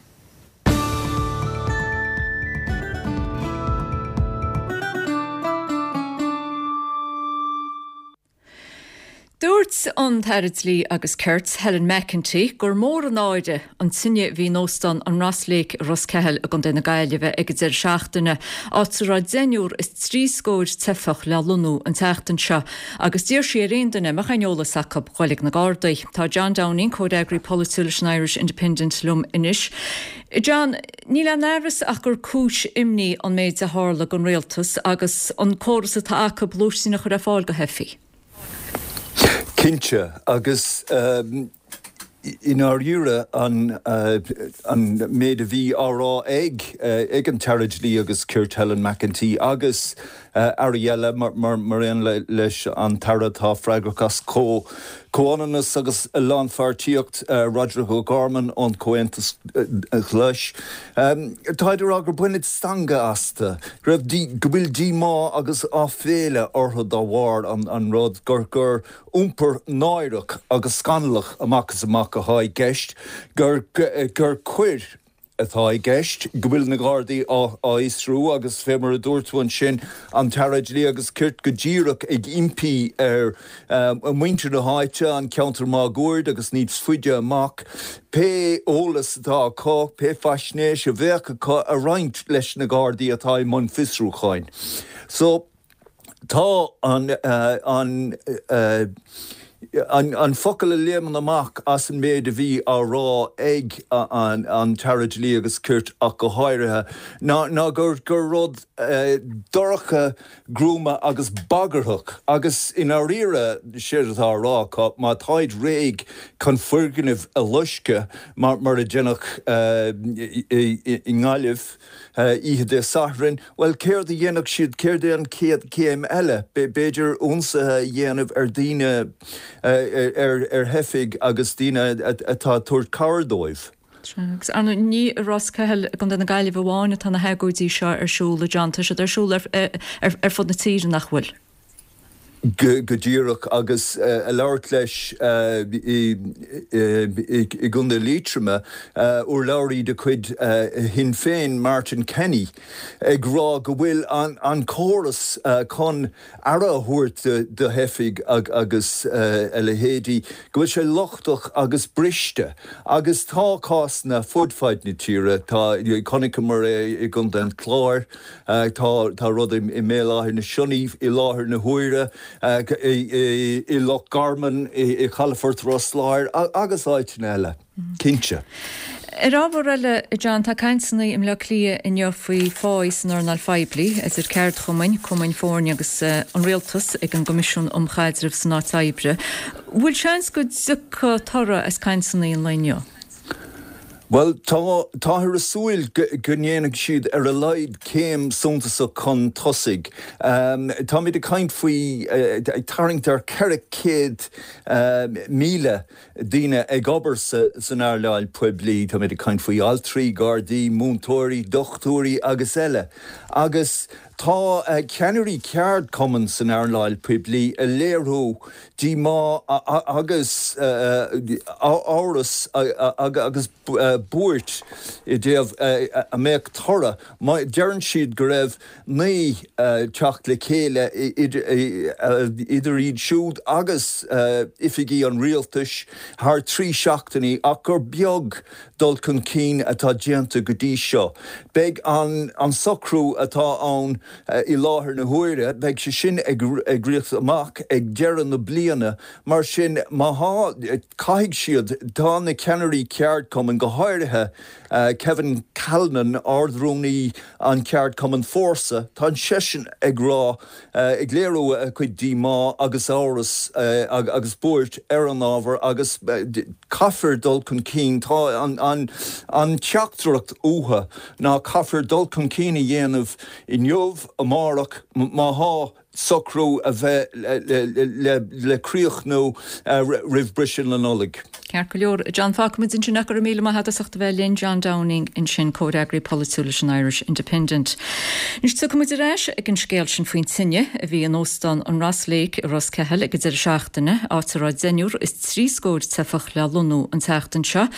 A: Dúirt an tAire Dlí agus Cirt, Helen McEntee, gur mór an náire an tine a bhí in Óstán an Ross Lake i Ros Ceathail i gContae na Gaillimhe ag an deireadh seachtaine, áit a raibh deichniúr is trí scór teifeach le lonnú an tseachtain seo, agus d'iarr sí ar aon duine a mbeadh aon eolas acu dhul ag na Gardaí. Tá John Downing, comhfhreagraí polaitiúil leis an Irish Independent liom anois. John, níl aon amhras ach gur cúis imní an méid a tharla don rialtas agus an córas atá acu lóistín a chur ar fáil do theifigh.
M: Cinnte, agus i ndáiríre an an méid a bhí á rá ag ag an tAire Dlí agus Cirt Helen McEntee agus airí eile mar mar aon leis an tAire atá freagrach as Comhionannas agus Lánpháirtíocht, Roderic O'Gorman ón Chomhaontas Glas. Táid ag rá gur baineadh stangadh astu, go raibh, go bhfuil díomá agus áiféala orthu dá bharr an rud gur gur iompar náireach agus scannalach amach is amach atá i gceist, gur gur coir atá i gceist, go bhfuil na Gardaí á fhiosrú agus fé mar a dúirt tú ansin, an tAire Dlí agus Cirt go díreach ag impí ar mhuintir na háite, an ceantar máguaird agus níos faide amach, pé eolas atá acu, pé faisnéis a bheadh acu a roinnt leis na Gardaí atá i mbun fiosrúcháin. So. Tá an an an focal a léimeann amach as an méid a bhí á rá ag an an tAire Dlí agus Cirt ach go háirithe, ná ná gur gur rud dorcha, gruama agus bagarthach agus i ndáiríre séard atá á rá acu, má táid réidh chun foirgnimh a loisceadh mar mar a deineadh i nGaillimh, oíche Dé Sathairn, bhuel, céard a dhéanfadh siad, céard é an chéad chéim eile? B'fhéidir ionsaithe a dhéanamh ar dhaoine, ar theifigh agus daoine atá ag tabhairt cabhair dóibh.
A: Agus ar ndóigh, ní i Ros Ceathail i gContae na Gaillimhe amháin atá na hagóidí seo ar siúl, a John, tá siad ar siúl ar fud na tíre, nach bhfuil?
M: Go díreach, agus ag labhairt leis i gContae Liatroma, urlabhraí de chuid Shinn Féin, Martin Kenny, ag rá go bhfuil an córas chun aire a thabhairt do theifigh agus a leithéidí, go bhfuil sé lochtach agus briste. Agus tá cásanna fud fad na tíre, tá, chonaiceamar é i gContae an Chláir, Tá rud i mBéal Átha na Sionnaigh i láthair na huaire, i Loch Garman, i Calafort Ros Láir agus áiteanna eile, cinnte.
A: Ar ábhar eile, a John, tá cainteanna i mBleá Cliath inniu faoi phá san earnáil phoiblí, idir ceardchumainn, cumainn foirne agus an rialtas ag an gCoimisiún um Chaidreamh san Áit Oibre. Bhfuil seans go dtiocfaidh toradh as cainteanna an lae inniu?
M: Bhuel, tá táthar ag súil go ndéanfaidh siad ar a laghad céim suntasach chun tosaigh. Táimid ag caint faoi ag tarraingt ar ceithre chéad míle daoine ag obair san earnáil poiblí. Táimid ag caint faoi altraí, gardaí, múinteoirí, dochtúirí agus eile. Agus tá ceannairí ceardchumann san earnáil poiblí ag léiriú díomá agus amhras agus buairt i dtaobh a mbeadh toradh. Deireann siad go raibh naoi teacht le chéile idir iad siúd agus oifigí an rialtais thar trí seachtainí ach gur beag dul chun cinn atá déanta go dtí seo. Beidh an socrú atá ann i láthair na huaire, beidh sé sin ag rith amach ag deireadh na bliana. Mar sin, má thá, caithfidh siad, tá na ceannairí ceardchumainn, go háirithe Kevin Callinan, Ard-Rúnaí an cheardchumainn Fórsa, tá seisean ag rá, ag léiriú a chuid díomá agus amhras agus buairt ar an ábhar agus caithfear dul chun cinn. Tá an an teachtaireacht uathu ná caithfear dul chun cinn a dhéanamh inniu, amárach, má thá socrú a bheith le críochnú roimh briseadh na Nollag.
A: Ceart go leor, John, fágfaimid ansin é. Go raibh míle maith agat as ucht a bheith linn, John Downing ansin, comhfhreagraí polaitiúil leis an Irish Independent. Anois tiocfaimid ar ais ag an scéal sin faoin tine a bhí in óstán an Ross Lake i Ros Ceathail ag an deireadh seachtaine, áit a raibh deichniúr is trí scór teifeach le lonnú an tseachtain seo.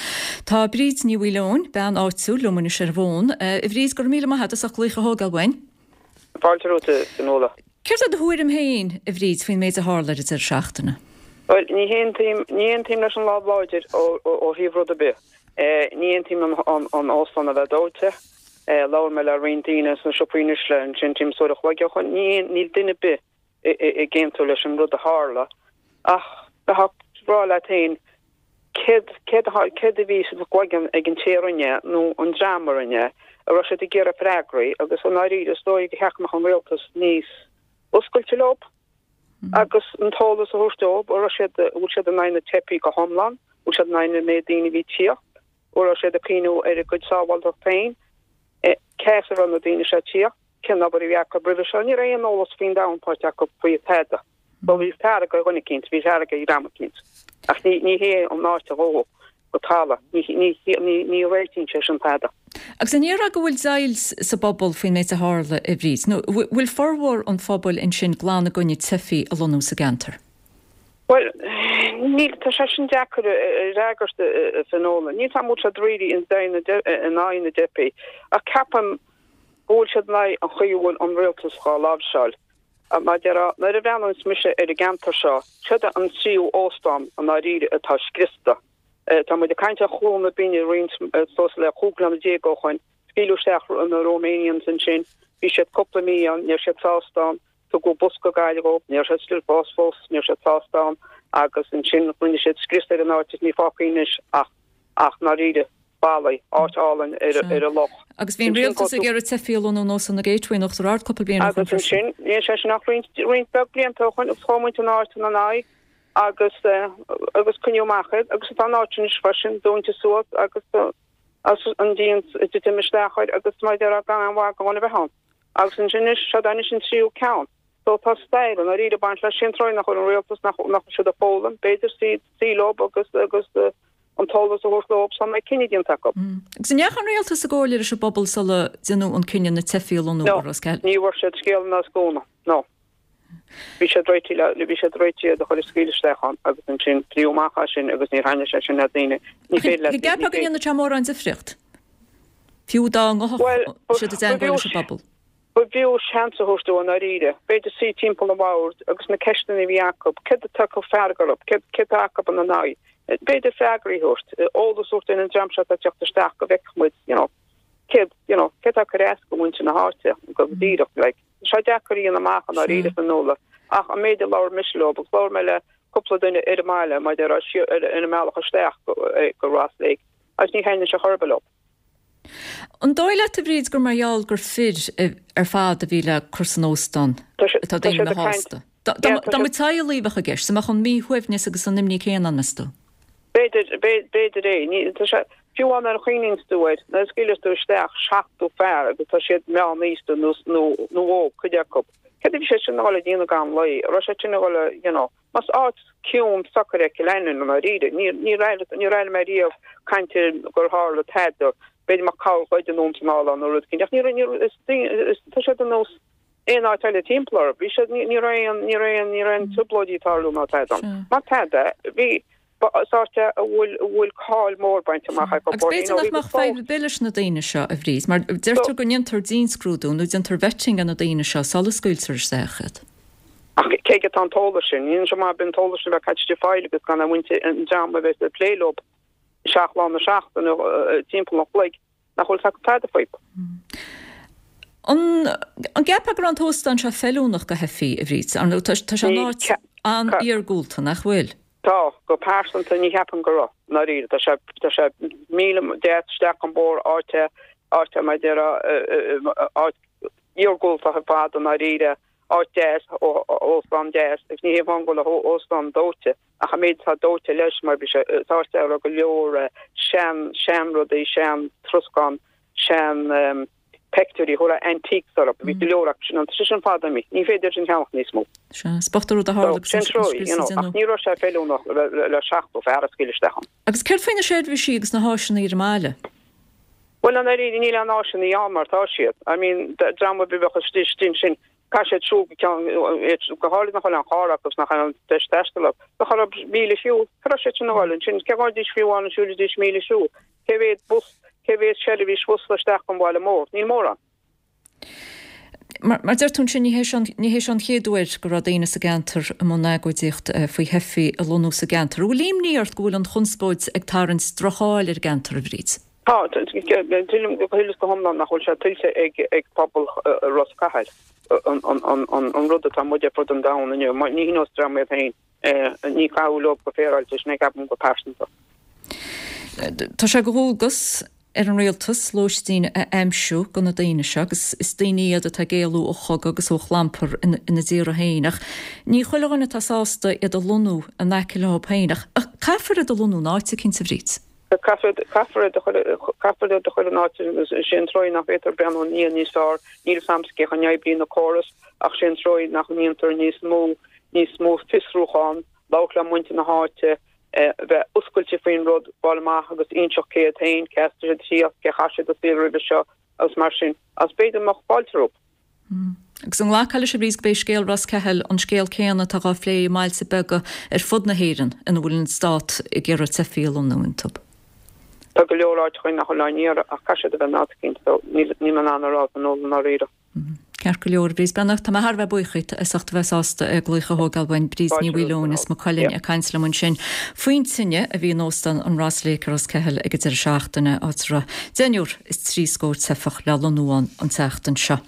A: Tá Bríd Ní Mhaoileoin, bean áitiúil, liom anois ar an bhfón. A Bhríd, go raibh míle maith agat as ucht glaoch a thógáil uainn.
N: Fáilte romhat, a Fhionnuala.
A: Céard é do thuairim féin, a Bhríd, faoin méid a tharla ar an deireadh seachtaine?
N: Bhuel, ní haontaím, ní haontaím leis an lámh láidir ó thaobh rud ar bith. Ní haontaím an óstán a bheith dóite. Labhair mé le roinnt daoine sna siopaí anois le ansin timpeall uair a chloig ó shoin. Ní, níl duine ar bith ag aontú leis an rud a tharla. Ach bheifeá ag rá leat féin, céard, céard a, céard a bhí sa gcloigeann ag an té a rinne é nó an dream a rinne é? An raibh siad ag iarraidh freagraí? Agus i ndáiríre, is dóigh gur cheart go mbeadh an rialtas níos oscailte leo agus an t-eolas a thabhairt dóibh, an raibh siad, bhfuil siad in aghaidh na teifigh go hiomlán, bhfuil siad in aghaidh na méid daoine a bhí ag tíocht, an raibh siad ag cuimhniú ar a gcuid sábháilteacht féin, cá as a raibh na daoine seo ag tíocht, cén obair a bhí acu roimhe seo, ní raibh aon eolas faoin domhan faighte acu faoi tada. So bhí fearg ar dhuine eicínt, bhí fearg ar dhream eicínt. Ach ní, ní hé an áit a dhó go talamh, ní, ní, ní, ní réitíonn sé sin tada.
A: Agus an ndéarfá go bhfuil deighilt sa bpobal faoin méid a tharla, a Bhríd? Nó bhfuil formhór an phobail ansin glan i gcoinne teifigh a lonnú sa gceantar?
N: Bhuel, níl, tá sé sin deacair a fhreagairt, a Fionnuala. Níl 's a'm an bhfuil siad really in aghaidh na dteifigh, ach ceapaim go bhfuil siad in aghaidh an chaoi a bhfuil an rialtas dhá láimhseáil. Mar a déarfá, nuair a bhreathnaíonns mise ar an gceantar seo, seod é an tríú óstán i ndáiríre atá scriosta. Tá muid ag caint ar Chluain na Binne roinnt suas le cúig bliana déag ó shoin. Scaoileadh isteach na Romanians ansin. Bhí siad cúpla mí ann, ní raibh siad sásta ann. Tugadh bus go Gaillimh dhóibh, ní raibh siad still fós fós, ní raibh siad sásta ann. Agus ansin rinne siad scrios ar an áit is ní fágtha anois ach ach ndáiríre ballaí, áit álainn ar ar an loch.
A: Agus bhí an rialtas ag iarraidh teifigh a lonnú in Óstán an Gateway in Uachtar Ard cúpla bliain ó
N: shoin
A: freisin.
N: Agus ansin, níl sé sin ach roinnt roinnt beag blianta ó shoin agus chuaigh muintir na háite ina n-aghaidh. agus agus coinníodh amach iad agus tá an áit anois freisin dúnta suas agus an díon ag titim isteach air agus mar a déarfá gan aon mhaith do dhuine a bheith ann. Agus ansin anois, seod anois an tríú ceann. So tá stair i ndáiríre ag baint leis sin tráth nach bhfuil an rialtas nach nach bhfuil siad ag foghlaim, b'fhéidir suí suí leo agus agus an t-eolas a thabhairt leo sula mbeidh cinneadh déanta acu.
A: Agus an ndeachaigh an rialtas i gcomhairle leis an bpobal sula déanadh an cinneadh na teifigh a lonnú
N: No,
A: i Ros Ceathail?
N: ní bhfuair siad scéal ná scúna. No. Bhí siad réitithe le, bhí siad réitithe iad a chur a scaoileadh isteach ann agus ansin pléadh amach as sin agus níor thaitnigh sé sin le daoine. Ní
A: Ach
N: féidir leat,
A: an
N: ní
A: gceapfá go
N: féidir.
A: ndéanfadh sé mórán difríocht? Fiú dá ngabhfadh
N: Bhuel, ba,
A: siad i
N: ba
A: dteangmháil
N: bhfiú,
A: leis an bpobal.
N: ba bhfiú seans a thabhairt dóibh i ndáiríre. B'fhéidir suí timpeall an bhoird agus na ceisteanna a bhí acu, céard atá acu fearg orthu, céard, céard atá acu ina n-aghaidh. B'fhéidir freagraí a thabhairt, eolas a thabhairt don dream seo atá ag teacht isteach go bhfeicfeadh muid, you know, céard, you know, céard atá ag cur as do mhuintir na háite go díreach, like. Tá sé deacair a dhéanamh amach i ndáiríre, a Fhionnuala, ach an méid a labhair mise leo, agus labhair mé le cúpla duine ar an mbaile, mar a déarfá, ar an mbealach isteach go Ross Lake, agus ní thaitníonn sé chor ar bith leo.
A: An dóigh leat, a Bhríd, gur mar gheall gur fir ar fad a bhí le cur san óstán atá daoine míshásta? Dá mba teaghlaigh a bheadh i gceist, an mbeadh an míshuaimhneas agus an imní céanna ann, meas tú?
N: B'fhéidir, b'fhéidir é. Ní, tá sé, fiú amháin nuair a chuimhníonns tú air, nuair a scaoileas tú isteach seachtó fear agus tá siad meánaosta nó, nó, nó óg, cuid acu. Céard a bhí siad sin a dhul a dhéanamh gan luí? An raibh siad sin a dhul a, you know, más áit ciúin socair é Cill Ainlinn i ndáiríre, ní, níor airigh, níor airigh mé riamh caint ar gur tharla tada, b'fhéidir mbeadh carr goidte anonn is anall ann nó rud éicint, ach ní raibh, ní raibh, is daoine, is, tá siad ar nós aon áit eile timpeall orthu. Bhí siad, ní, ní raibh aon, ní raibh aon, ní raibh aon trioblóidí ag tarlú ná tada ann. Má tada, bhí, ba, is áit é a bhfuil, a bhfuil cáil mhór bainte amach acu.
A: Agus b'fhéidir nach mbeadh fadhb ar bith leis na daoine seo, a Bhríd, mar deirtear go ndéantar dianscrúdú nó déantar vetting ar na daoine seo sula scaoiltear isteach iad.
N: Ach cé aige atá an t-eolas sin? Ní hionann mar bíonn an t-eolas sin a bheith caite istigh fáil agus gan a mhuintir, an dream a bheith ag plé leo seacht lá na seachtaine timpeall an chloig, nach bhfuil fhios acu tada faoi.
A: An an gceapfá go raibh an t-óstán seo feiliúnach do theifigh, a Bhríd? Ar ndóigh, tá sé in áit an-iargúlta, nach bhfuil?
N: Tá, go pearsanta ní cheapaim go raibh, i ndáiríre. Tá sé, tá sé míle deas isteach an bóthar, áit, áit mar a déarfá, áit iargúlta ar fad i ndáiríre, áit deas, óstán deas, agus ní hé amháin go bhfuil an óstán dóite, ach an méid atá dóite leis, mar bhí sé, is áit é a raibh go leor sean, seanrudaí, sean troscán, sean peictiúirí, thabharfá antiques orthu, bhí go leor acu sin ann, tá sé sin fada imithe, ní féidir sin a cheannach níos mó.
A: Sea, is bocht an rud a tharla agus
N: Sin trua, you know, ach ní raibh sé feiliúnach le le seachtó fear a scaoileadh isteach ann.
A: Agus céard faoi na seirbhísí agus na háiseanna ar an mbaile?
N: Bhuel, i ndáiríre, níl aon áiseanna ann mar tá siad. I mean, dream ar bith a bheadh istigh ansin, caithfidh siad siúl go ceann, go háirithe nach bhfuil aon charr acu agus nach bhfuil aon deis taistil acu. Bheadh orthu míle siúl. Cá raibh siad sin a dhul ansin? Cé ghabhfaidís fiú amháin an siúlfaidís míle siúl? Cé mhéad bus, cé mhéad seirbhís bhus isteach ón bhaile mór? Níl mórán.
A: Mar mar deir tú ansin, ní hé seo ní hé seo an chéad uair go raibh daoine sa gceantar i mbun agóidíocht faoi theifigh a lonnú sa gceantar. An bhfuil imní ort go bhfuil an chonspóid ag tarraingt droch-cháil ar an gceantar, a Bhríd?
N: Tá, tuigim go huile is go hiomlán nach bhfuil sé tuillte ag ag pobal Ros Cathail an an an an an rud atá muid ar fud an domhain inniu. Ní hionann dream iad féin. Ní cabhair leo go féaráilte, sin é ceapaim go pearsanta.
A: Tá sé de dhualgas ar an rialtas lóistín a aimsiú do na daoine seo agus is daoine iad atá ag éalú ó chogadh agus ó chlampar ina dtíortha féin ach ní chuile dhuine atá sásta iad a lonnú in aice leo féin ach caithfear iad a lonnú in áit eicínt, a Bhríd.
N: Caithfear iad a chur iad a chur in áit, sé an trua nach bhféadtar breathnú i ndiaidh níos fearr, níl 'fhios a'msa cén chaoi a n-oibríonn na córais ach sé an trua nach ndéantar níos mó níos mó fiosrúchán, labhairt le muintir na háite, bheith oscailte faoin rud, fáil amach agus inseacht cé hiad féin, cé as a bhfuil siad ag tíocht, cé chaith siad a saol roimhe seo agus mar sin. Agus b'fhéidir go mbeadh fáilte rompu.
A: Agus an nglacfá leis, a Bhríd, gurb é scéal Ros Ceathail an scéal céanna atá á phlé i mbailte beaga ar fud na hÉireann ina bhfuil an stát ag iarraidh teifigh a lonnú iontu?
N: Tá go leor áiteacha nach bhfuil á n-iarraidh ach caithfidh siad a bheith in áit eicínt so níl mé in ann a rá san ól i ndáiríre.
A: Ceart go leor, a Bhríd Breathnach, tá mé thar a bheith buíoch díot as ucht a bheith sásta glaoch a thógáil uainn. Bríd Ní Mhaoileoin as Maigh Cuilinn ag caint liom ansin faoin tine a bhí in Óstán an Ross Lake i Ros Ceathail ag an deireadh seachtaine, áit a raibh deichniúr is trí scór teifeach le lonnú ann an tseachtain seo.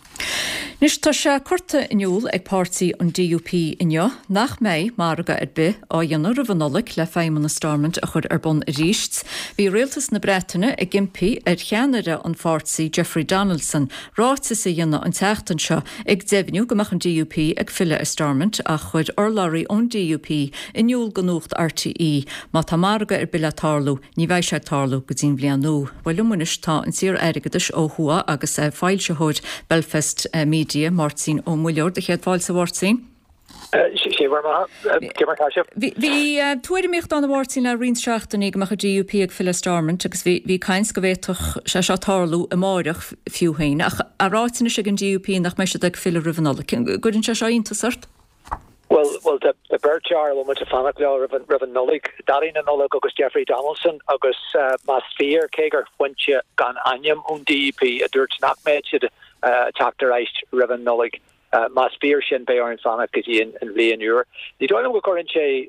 A: Anois tá sé curtha in iúl ag páirtí an DUP inniu nach mbeidh margadh ar bith á dhéanamh roimh an Nollaig le Feidhmeannas Stormont a chur ar bun arís. Bhí rialtas na Breataine ag impí ar cheannaire an pháirtí Jeffrey Donaldson ráiteas a dhéanamh an tseachtain seo ag deimhniú go mbeadh an DUP ag filleadh ar Stormont ach chuir urlabhraí ón DUP in iúl do Nuacht RTÉ má tá margadh ar bith le tarlú ní bheidh sé ag tarlú go dtí an bhliain nua. Bhuel liom anois tá an t-iar airgeadais ó thuaidh agus foilsitheoir Belfast Media, Máirtín Ó Muilleoir. Do chéad fáilte a Mháirtín.
O: Sé bhur mbeatha. Cé mar atá sibh?
A: Bhí tuairimíocht ann a Mháirtín le roinnt seachtainí go mbeadh an DUP ag filleadh ar Stormont agus bhí bhí caint go bhféadfadh sé seo tarlú amáireach fiú féin ach á ráit anois ag an DUP nach mbeidh siad ag filleadh roimh an Nollaig. Gcuireann sé seo iontas ort?
O: Bhuel, bhuel tá beirt fhear a bhfuil muid ag fanacht leo roimh an roimh an Nollaig, Daidí na Nollag agus Jeffrey Donaldson agus más fíor, cé gur foinse gan ainm ón DUP a dúirt nach mbeidh siad ag teacht ar ais roimh an Nollaig, Más fíor sin, beidh orainn fanacht go dtí an bhliain úr. Ní dóigh liom go gcuireann sé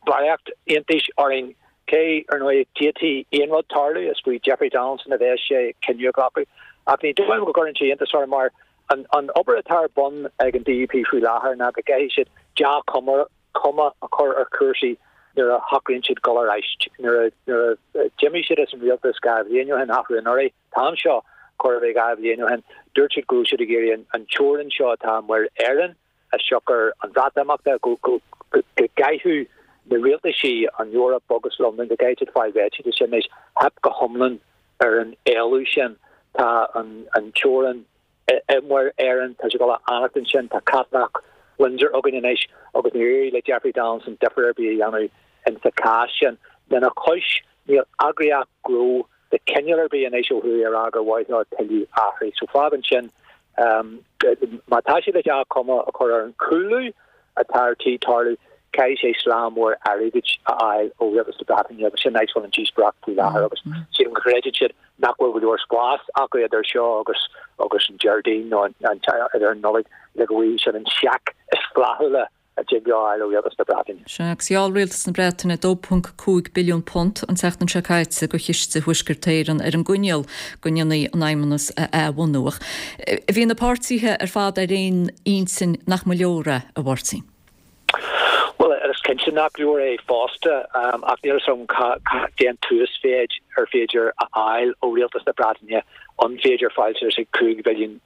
O: barraíocht iontais orainn, cé, ar ndóigh, d'fhéadfaí aon rud tarlú, is faoi Jeffrey Donaldson a bheas sé cinneadh a ghlacadh. Ach ní dóigh liom go gcuireann sé iontas orm mar an obair atá ar bun ag an DUP faoi láthair ná go gcaithfidh siad dea-chuma a chur ar chúrsaí nuair a shocraíonn siad dul ar ais, nuair a d'imigh siad as an rialtas dhá bhliain ó shin, athrú anuraidh, an t-am seo, chóir a bheith dhá bhliain ó shin, dúirt siad go raibh siad ag iarraidh an teorainn seo atá i Muir Éireann as siocair an Bhreatimeachta, go gcaithfeadh na rialtaisí, an Eoraip agus Londain, go gcaithfidh siad fáil réitigh de sin. Anois, theip go hiomlán ar an éileamh sin. Tá an teorainn i Muir Éireann, tá sé ag dul a fhanacht ansin, tá Cathlach Windsor againn anois agus níor éirigh le Jeffrey Donaldson difear ar bith a dhéanamh insa chás sin. Lena chois, níl eagraíocht gnó de chineál ar bith anois ó thuaidh a rá gur mhaith leo tuilleadh athraithe. So fágann sin, má tá siad le dea-chuma a chur ar an chúlú atá ar tí tarlú, caithfidh sé slám mór airgid a fháil ó Rialtas na Breataine agus sin áit a bhfuil an díospóireacht faoi láthair agus sílim go gcreideann siad nach bhfuil go leor spás acu idir seo agus agus an Déardaoin nó an idir an Nollaig le go bhfaighidh siad an seic is flaithiúla a dtig leo a fháil ó Rialtas na Breataine.
A: Sea, agus gheall Rialtas na Breataine dó ponc cúig billiún punt an tseachtain seo caite do Chiste Thuaisceart Éireann ar an gcoinníoll go ndéanfaí an Fheidhmeannas a athbhunú. Ach bhí na páirtithe ar fad ar aon intinn nach mba leor é, a Mháirtín.
O: Bhuel, is cinnte nach leor é fosta, ach níl a fhios agam cén t-uasmhéid ar féidir a fháil ó Rialtas na Breataine, an féidir fáil suas ag cúig bhilliún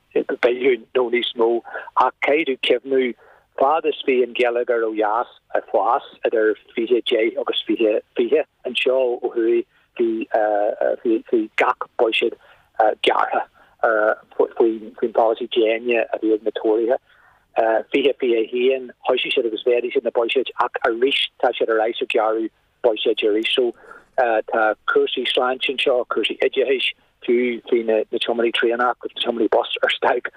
O: billiún nó níos mó, ach caithfidh tú cuimhniú, fad is bhí an geilleagar ó dheas ag fás idir fiche deich agus fiche fiche, anseo ó thuaidh bhí bhí gach buiséad gearrtha faoin pholasaí déine a bhí ag na Tóraithe. fiche fiche a haon, thoisigh siad agus mhéadaigh siad na buiséid ach arís tá siad ar ais ag gearradh buiséid arís. So tá cúrsaí sláinte anseo, cúrsaí oideachais, fiú faoi na tiománaí traenach agus na tiománaí bus ar stailc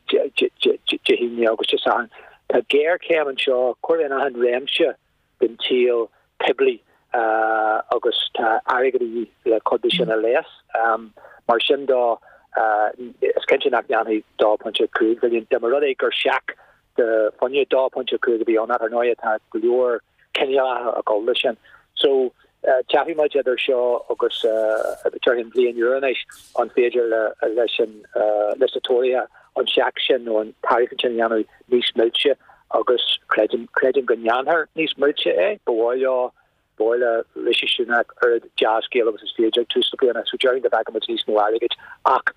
O: Dé hAoine agus Dé Sathairn. Tá géarchéim anseo, chóir a bheith in achan réimse den tsaol poiblí agus tá airgead a dhíth le cuid de sin a leigheas. Mar sin de, is cinnte nach ndéanfaidh dó pointe cúig bhilliún, dá mba rud é gur seic de phunt dó pointe cúig a bhí ann, ach ar ndóigh tá go leor cineálacha ag dul leis sin. So, tchífidh muid idir seo agus déarfainn an bhliain úr anois an féidir leis an leis na Tóraithe an seic sin nó an tairiscint sin a dhéanamh níos milse agus creidim creidim go ndéanfar níos milse é. Ba mhaith leo ba mhaith le Rishi Sunak oiread dea-scéal agus is féidir ag tús na bliana so déarfainn go bhfeicfidh muid níos mó airgid ach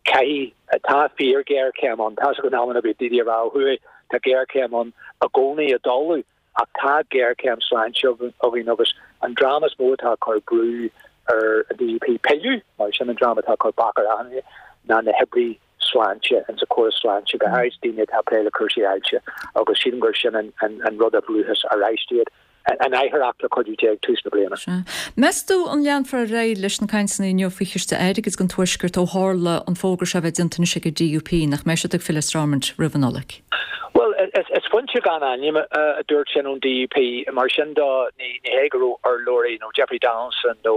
O: caithfidh tá fíor-ghéarchéim ann. Tá a fhios agam in amanna bíonn daoine ag rá ó thuaidh tá géarchéim ann i gcónaí i dtólamh ach tá géarchéim sláinte againn agus an dream is mó atá ag cur brú ar an DUP pilleadh, mar sin an dream atá ag cur bac ar achan duine, ná na hoibrithe sláinte insa chóras sláinte, go háirid daoine atá ag plé le cúrsaí ailse agus sílim gur sin an rud a bhrúfas arís iad an athuair le cuidiú Dé ag tús na bliana.
A: Sea. Meas tú an leanfar ar aghaidh leis na cainteanna inniu faoi chiste airgid don Tuaisceart ó tharla an fógra seo a bheith déanta anois ag an DUP nach mbeidh siad ag filleadh ar Stormont roimh an Nollaig?
O: Bhuel, is foinse gan ainm a dúirt sin ón DUP. Mar sin de, ní hé go raibh urlabhraí nó Jeffrey Donaldson nó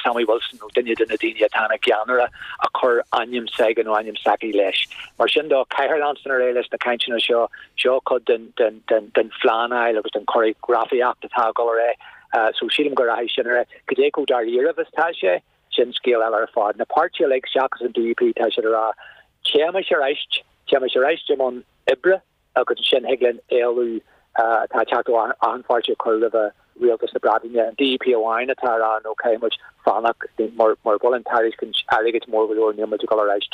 O: Sammy Wilson nó duine de na daoine atá ina gceannaire a chuir ainm s'aige nó ainm s'aici leis. Mar sin de, caithfear leanstan ar aghaidh leis na cainteanna seo. Seo cuid den phleanáil agus den choreografaíocht atá ag dul ar aghaidh. So sílim go rachaidh sin ar aghaidh. Cad é chomh dáiríribh is atá sé, sin scéal eile ar fad. Na páirtithe uilig seachas an DUP, tá siad ag rá, téimis ar ais, téimis ar ais i mbun oibre agus ansin thig linn éileamh atá ag teacht ó achan pháirtí a chur roimhe Rialtas na Breataine. An DUP amháin atá ag rá no caithfidh muid fanacht mura bhfuil an tairiscint airgid mór go leor níl muid ag dul ar ais.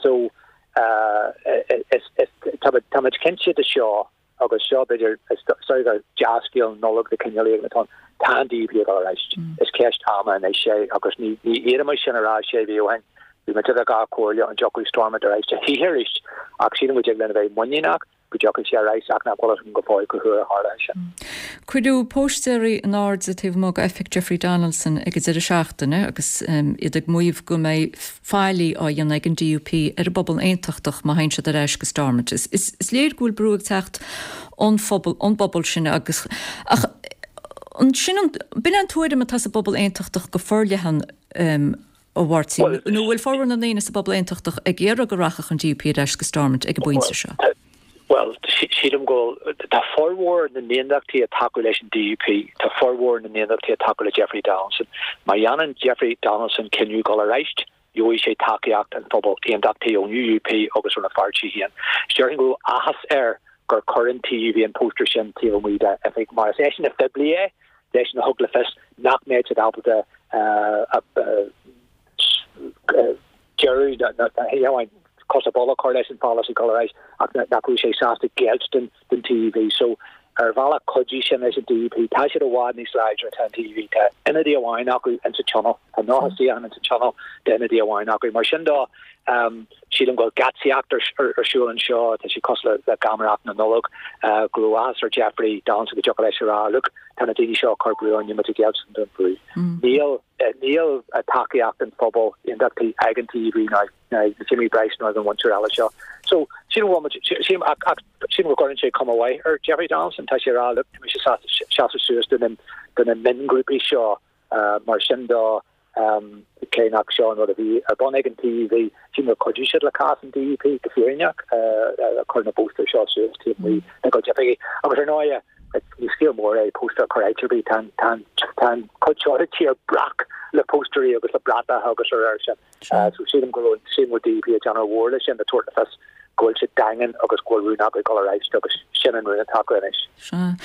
O: So tá muid cinnte de seo agus seo b'fhéidir is dóigh gur dea-scéal Nollag de chineál éigin atá ann, tá an DUP ag dul ar ais. Is ceist ama anois é agus ní fhéadfaimis sin a rá sé mhí ó shin. Bhí muid idir dhá chomhairle an dtiocfadh Stormont ar ais a choíche arís ach sílim go dtig linn a bheith muiníneach go dtiocfaidh sé ar ais ach nach bhfuil a fhios agam go fóill cá huair a tharlóidh sin.
A: Cuireadh póstaeirí in airde taobh amuigh d'oifig Jeffrey Donaldson ag an deireadh seachtaine agus iad ag maíomh go mbeidh faillí á dhéanamh ag an DUP ar an bpobal aontachtach má théann siad ar ais go Stormont. Is léir go bhfuil brú ag teacht ón phobal, ón bpobal sin agus ach an sin an, b'in é an tuairim atá sa bpobal aontachtach go forleathan, a Mháirtín, nó bhfuil formhór na ndaoine sa bpobal aontachtach ag iarraidh go rachadh an DUP ar ais go Stormont ag an bpointe seo?
O: Bhuel, sílim go bhfuil, tá formhór na n-aontachtaithe ag tacú leis an DUP, tá formhór na n-aontachtaithe ag tacú le Jeffrey Donaldson. Má dhéanann Jeffrey Donaldson cinneadh dul ar ais, gheobhaidh sé tacaíocht an phobail aontachtaithe ón UUP agus óna pháirtí féin. Déarfainn go raibh áthas air gur chuir an T U V an póstaer sin taobh amuigh dá oifig, mar is eisean a phoiblígh é, eisean a thug le fios nach mbeadh siad ábalta deireadh cos ar bolg a chur leis an pholasaí dul ar ais, ach nach raibh sé sásta géilleadh don don T U V. So ar bhealach chuidigh sin leis an D U P. Tá siad i bhfad níos láidre tá an T U V. Tá ionadaí amháin acu insa tionól, tá nócha suíochán insa tionól, tá ionadaí amháin acu. Mar sin dó, um, sílim go bhfuil geatsaíocht ar, ar, ar siúl anseo, tá sé cosúil le, le geamaireacht na Nollag, uh, go raibh áthas ar Jeffrey Donaldson go dtiocfadh leis a rá, look, tá na daoine seo ag cur brú orainn, muid ag géilleadh don bhrú. Mm. Níl uh, níl a tacaíocht an phobal aontachtaí ag an T U V ná ná Jimmy Bryce ná an mhuintir eile seo. So sílim go sílim sílim go gcuireann sé cuma mhaith ar Jeffrey Donaldson, tá sé rá, look, tá mise seasamh suas do na do na miongrúpaí seo, uh, mar sin dó, um, cé nach seo an rud a bhí ar bun ag an T U V, sílim gur chuidigh siad le cás an D U P go fírinneach, uh, chur na póstaer seo suas taobh amuigh dá gcuid oifigí. Agus ar ndóigh, ní scéal mór é póstaer a chur áit ar bith, tá tá cuid seo tír breac le póstairí agus le bratacha agus ar ar sin. Uh, so sílim go sílim go D U P ag déanamh mhór leis sin le tabhairt le fios go bhfuil siad daingean agus go bhfuil rún acu dul ar ais agus sin an rún atá acu anois.
A: Sea.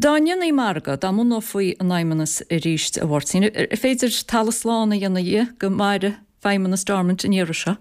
A: Dá ndéanfaí margadh, dá mbunófaí an Fheidhmeannas arís, a Mháirtín, ar féidir talamh slán a dhéanamh dhe go mairfidh Feidhmeannas Stormont an iarraidh seo?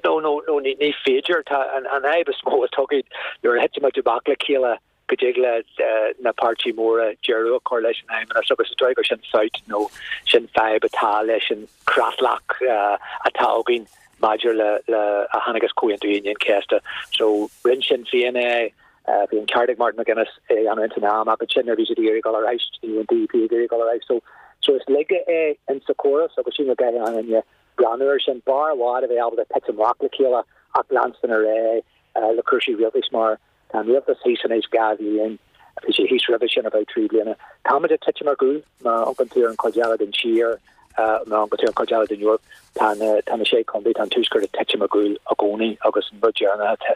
O: No, no, no, ní, ní féidir. Tá an, an fhadhb is mó atá againn nuair a thit muid amach le chéile go dtig le uh, na páirtithe móra deireadh a chur leis an fheidhmeannas, agus is dóigh gur sin fabht nó sin fadhb atá leis an creatlach uh, atá againn maidir le le a tháinig as Comhaontú Aoine an Chéasta. So rinne Sinn Féin é, uh, bhí an ceart ag Martin McGuinness é an san am, ach sin bhí siad ag iarraidh dul ar ais, ní an D U P ag iarraidh dul ar ais. So so is laige é in sa chóras agus sin go an breathnú ar sin bar bhád a bheith ábalta titim amach le chéile ach leanstan ar aghaidh uh, le cúrsaí rialtais, mar tá an rialtas thíos anois dhá bhliain, bhí sé thíos roimhe sin about trí bliana. Táimid ag titim ar gcúl má amharcann tú ar an chuid eile den tír, má amharcann tú ar an chuid eile den Eoraip, tá tá na sé chontae, tá an tuaisceart ag titim ar gcúl i gcónaí, agus an rud deireanach tá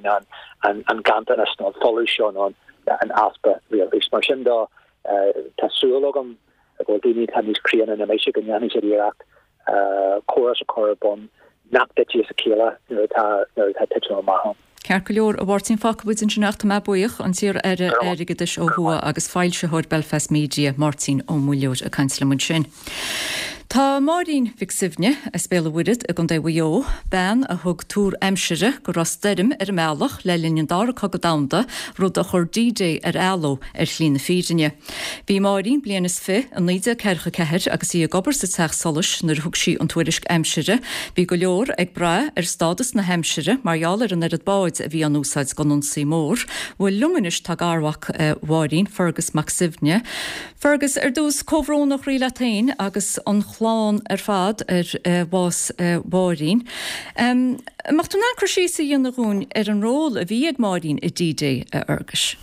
O: an an an ganntanas nó an folús seo nó an easpa rialtais. Mar sin dó, tá súil agam go bhfuil daoine atá níos críonna ná mise go ndéanfaidh siad iarracht córas a chur ar bun nach dtitfidh as a chéile nuair atá nuair atá titim amach ann.
A: Ceart go leor, a Mháirtín, fágfaidh muid ansin é, tá mé buíoch, an t-iar-aire airgeadais ó thuaidh agus foilsitheoir Belfast Media, Máirtín Ó Muilleoir, ag caint liom ansin. Tá Máirín Mhic Suibhne as Béal an Mhuirthead i gContae Mhaigh Eo, bean a thug tuar aimsire go raibh stoirm ar an mbealach le linn an Dara Cogadh Domhanda, rud a chuir D-Day ar athló ar shlí na fírinne. Bhí Máirín bliain is fiche i naoi déag ceathracha ceathair agus í ag obair sa teach solais nuair a thug sí an tuairisc aimsire. Bhí go leor ag brath ar stádas na haimsire mar gheall ar an oiread báid a bhí á n-úsáid don ionsaí mór. Bhuel, liom anois tá garmhac Mháirín, Fergus Mac Suibhne. Fergus, ar dtús, comhbhrón ó chroí leat féin agus an chlann ar fad ar bhás Mháirín. Um, Má tú ná cur síos a dhéanamh dúinn ar an ról a bhí ag Máirín i D-Day, a Fherguis.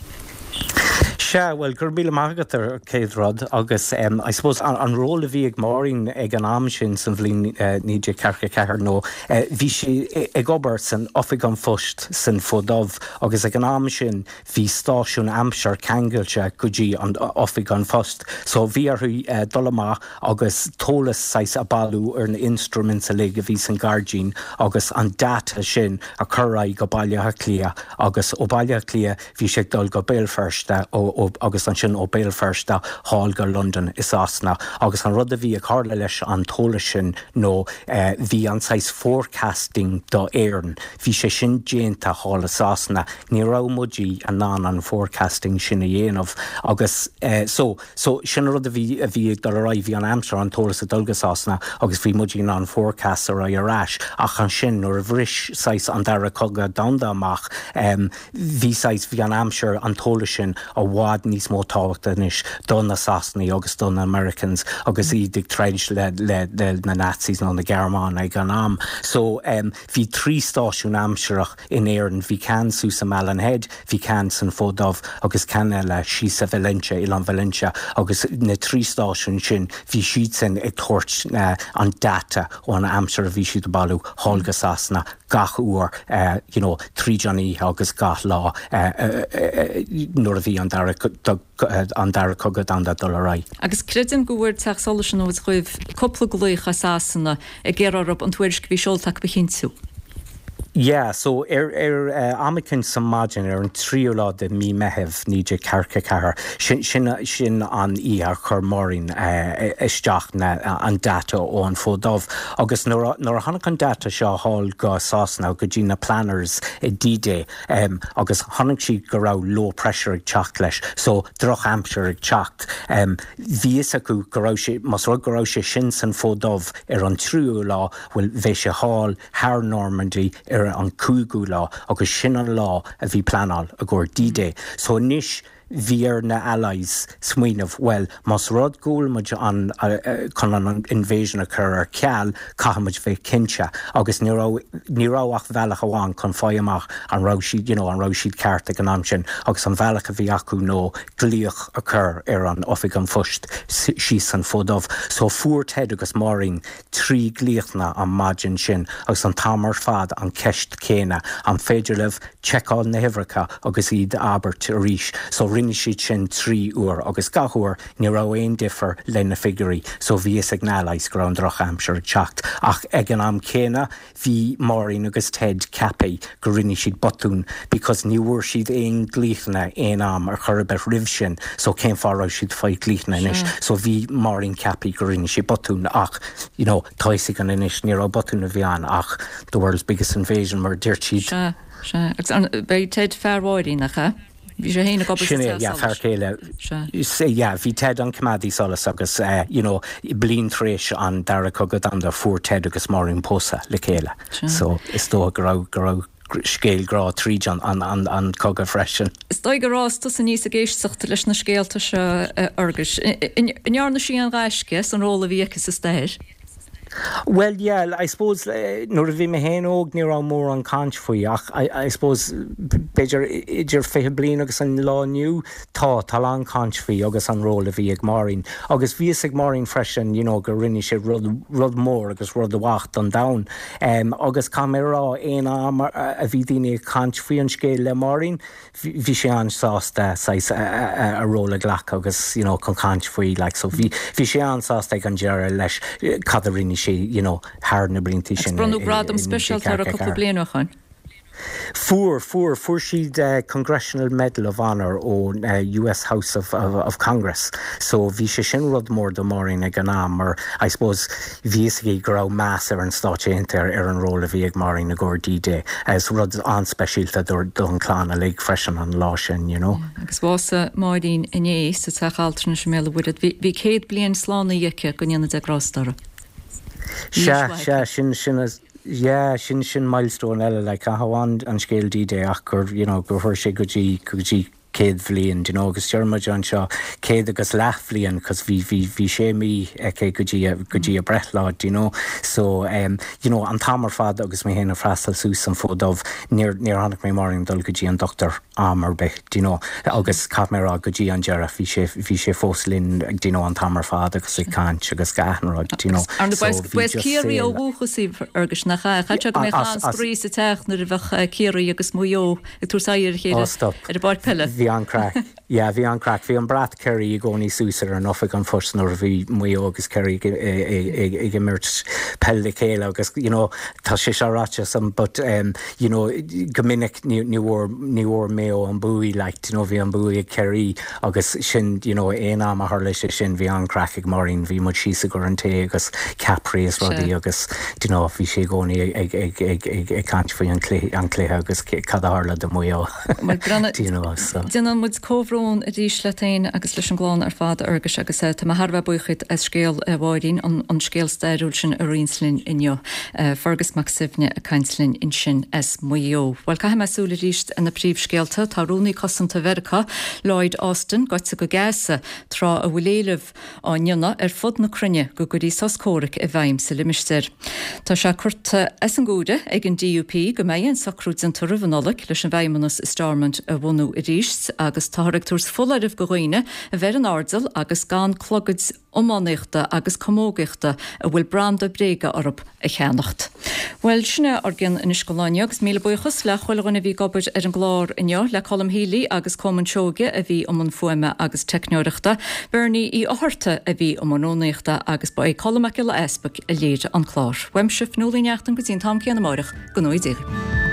P: Sea, well, go raibh míle maith agat ar chéad rud agus um, I suppose an, an ról a bhí ag Máirín ag an am sin san bhliain uh, naoi déag ceathracha ceathair nó uh, bhí sí ag obair san oifig an phoist san Fort Dubh, agus ag an am sin bhí stáisiún aimsire ceangailte go dtí an oifig an phoist. So bhí orthu uh, dul amach agus eolas saghas a bhailiú ar na instruments uilig a bhí san gairdín agus an data sin a chur go Baile Átha Cliath, agus ó Baile Átha Cliath bhí sé dul go Béal Feirste ó, agus ansin ó Béal Feirste thall go London i Sasana, agus an rud a bhí ag tarlú leis an t-eolas sin nó eh, bhí an saghas forecasting do Éirinn. Bhí sé sin déanta thall i Sasana, ní raibh muid in ann an forecasting sin a dhéanamh agus eh, so so sin rud a bhí a bhí ag dul ar bhí an aimsir, an t-eolas ag dul go Sasana agus bhí muid in ann forecast ar ar ais, ach ansin nuair a bhris saghas an dara cogadh domhanda amach, um, bhí saghas bhí an aimsir, an t-eolas sin i bhfad níos mó tábhachta anois do na Sasanaigh agus do na Americans agus iad ag troid le, le, le na Nazis nó na Gearmáin ag an am. So um, bhí trí stáisiún aimsireach in Éirinn, bhí ceann suas i Malin Head, bhí ceann san Fort Dubh agus ceann eile síos sa Valentia, Oileán Valentia, agus na trí stáisiún sin bhí siad sin ag tabhairt uh, an data ón aimsir a bhí siad ag bailiú thall go Sasana gach uair uh, you know, tríd an oíche agus gach lá uh, uh, uh, nuair a bhí an dara an dara cogadh domhanda dul ar aghaidh.
A: Agus creidim go bhfuair Teach Solais an Fhóid Dhuibh cúpla glaoch as Sasana ag iarraidh an tuairisc bhí seolta a chinntiú.
P: Yeah, so ar ar am éicint sa maidin ar an tríú lá de mí Meitheamh naoi déag ceathracha ceathair, sin sin sin an oíche a chuir Máirín isteach na an data ó an Fód Dubh. Agus nuair a nuair a tháinig an data seo thall go Sasana go dtí na planners i D-Day um, agus chonaic siad go raibh low pressure ag teacht leis, so drochaimsir ag teacht. Um, bhí fhios acu go raibh sé más rud go raibh sé sin san Fód Dubh ar an tríú lá, bhuel bheadh sé thall thar Normandy ar an cúigiú lá agus sin an lá a bhí pleanáil i gcomhair D-Day. So anois bhí ar na Allies smaoineamh, well, más rud go bhfuil muid an chun an invasion a chur ar ceal, caithfidh muid bheith cinnte agus ní raibh ní raibh ach bealach amháin chun fáil amach an raibh siad you know, an raibh siad ceart ag an am sin agus an bealach a bhí acu ná glaoch a chur ar an oifig an phoist síos san Fód Dubh. So fuair Ted agus Máirín trí glaochanna an maidin sin agus an t-am ar fad an ceist céanna an féidir libh seiceáil na huimhreacha agus iad abairt arís. So rinne siad sin trí uair agus gach uair ní raibh aon difear le na figiúirí, so bhí fhios ag na Allies go raibh an drochaimsir ag teacht. Ach ag an am céanna bhí Máirín agus Ted ceaptha go rinne siad botún because ní bhfuair siad aon glaochanna aon am ar chor ar bith roimh sin, so cén fáth raibh siad fáil glaochanna anois. So bhí Máirín ceaptha go rinne siad botún ach you know, tá fhios againn anois ní raibh botún a bhí ann ach the world's biggest invasion mar dúirt siad.
A: Sea, sea. Agus an, b'é Ted fear Mháirín nach ea? Bhí sé féin ag obair
P: Sin é, yeah, fear céile. Yeah, bhí Ted an coimeádaí solais agus uh, you know, bliain tar éis an dara cogadh domhanda fuair Ted agus Máirín pósadh le chéile. So is dócha go raibh go raibh scéal grá tríd an, an, an, an cogadh freisin.
A: Is dóigh gur fhás tusa aníos ag éisteacht leis na scéalta seo a Fhearghuis. An ndearna sí an gaisce san ról a bhí aici sa stair?
P: Well yeah, I suppose uh, nuair a bhí mé féin óg ní raibh mórán caint faoi ach I, I suppose b'fhéidir idir fiche bliain agus an lá inniu tá tá an caint faoi agus an ról a bhí ag Máirín. Agus bhí ag Máirín freisin you know, gur rinne sé rud, rud mór agus rud amach don domhan. Um, agus tá mé rá aon am a bhí daoine ag caint faoi an scéal le Máirín, bhí sé an-sásta a, a ról a ghlacadh agus you know, chun caint faoi like, so bhí bhí sé an-sásta ag an deireadh leis cad a rinne sé you know, thar na blianta sin.
A: Bronnadh gradam speisialta uirthi cúpla bliain ó shin.
P: Fuair fuair fuair siad uh, Congressional Medal of Honor ó uh, US House of, of, of Congress. So bhí sé sin rud mór do Máirín ag an am mar I suppose bhí sí go raibh meas ar an Stáit Aontaithe ar an ról a bhí ag Máirín i gcomhair D-Day as rud an-speisialta don chlann uilig freisin an lá sin, you know.
A: Agus bhásaigh Máirín inné sa teach altranais i mBéal an Mhuirthead. Bhí céad bliain slánaithe aici go ndéana Dia grásta uirthi.
P: Se se sin sin yeah, sin sin milestone eile like amháin an scéal D-Day ach gur you know, gur chuir sé go dtí go dtí céad bhliain you know, agus deir an seo céad agus leathbhliain cos bhí bhí bhí sé mí aici go dtí go dtí a breithlá you know so um, you know, an t-am ar fad agus mé féin ag freastal suas an Fód Dubh níor níor chonaic mé Máirín dul go dtí an dochtúir am ar bith you know, agus caithfidh mé rá go dtí an deireadh bhí sé bhí sé fós linn you know, an t-am ar fad agus ag caint agus gach rud you know.
A: so Ciarraí ó dhúchas í agus nach cha go mbeadh an-spraoi sa teach nuair a bheadh Ciarraí agus Maigh Eo ag tabhairt aghaidh ar chéile ar an bpáirc peile.
P: Bhí an-chraic. Yeah, bhí an-chraic, bhí an brat Kerry i gcónaí suas ar an oifig an phoist nuair a bhí Maigh Eo agus Kerry ag imirt peil le chéile agus you know, tá sé seo ráite some but um, you know, go minic ní bhfuair ní bhfuair Maigh Eo an bua like, you know, bhí an bua ag Kerry agus sin you know, aon am a tharla sé sin bhí an-chraic ag Máirín bhí muid síos ag an tae agus ceapairí is rudaí agus you know, bhí sé i gcónaí ag ag ag ag ag caint faoi an cluiche agus cad a tharla do Maigh Eo.
A: You know, so. Déanann muid comhbhrón arís leat féin agus leis an gclann ar fad a Fhearghuis agus tá mé thar a bheith buíoch duit as scéal Mháirín an, an scéal stairiúil sin a roinnt linn inniu. Fergus Mac Suibhne ag caint linn ansin as Maigh Eo. Well caithfidh mé súil arís ar na príomhscéalta tá rúnaí cosanta Mheiriceá Lloyd Austin gaibhte go Gaza tráth a bhfuil éilimh á ndéanamh ar fud na cruinne go gcuirfí sos comhraic i bhfeidhm sa limistéar. Tá sé curtha as an gcomhaireamh ag an DUP go mbeidh an socrú déanta roimh an Nollaig leis an bhFeidhmeannas i Stormont a bhunú arís agus táthar ag tabhairt foláireamh do dhaoine a bheith ar an airdeall agus gan clogaid iománaíochta agus camógaíochta a bhfuil branda bréige orthu a cheannacht. Well sin é ár gceann anois don lá inniu agus míle buíochas le chuile dhuine a bhí ag obair ar an gclár inniu le Colm Healy agus Coman Seoige a bhí i mbun fuaime agus teicneoireachta, Bernie Uí Fhátharta a bhí i mbun rúnaíochta agus ba é Colm Mac Giolla Easpaig a léirigh an clár. Uaimse Fionnuala Ní Neachtain go dtí an t-am céanna amárach go ngnóthaí Dia.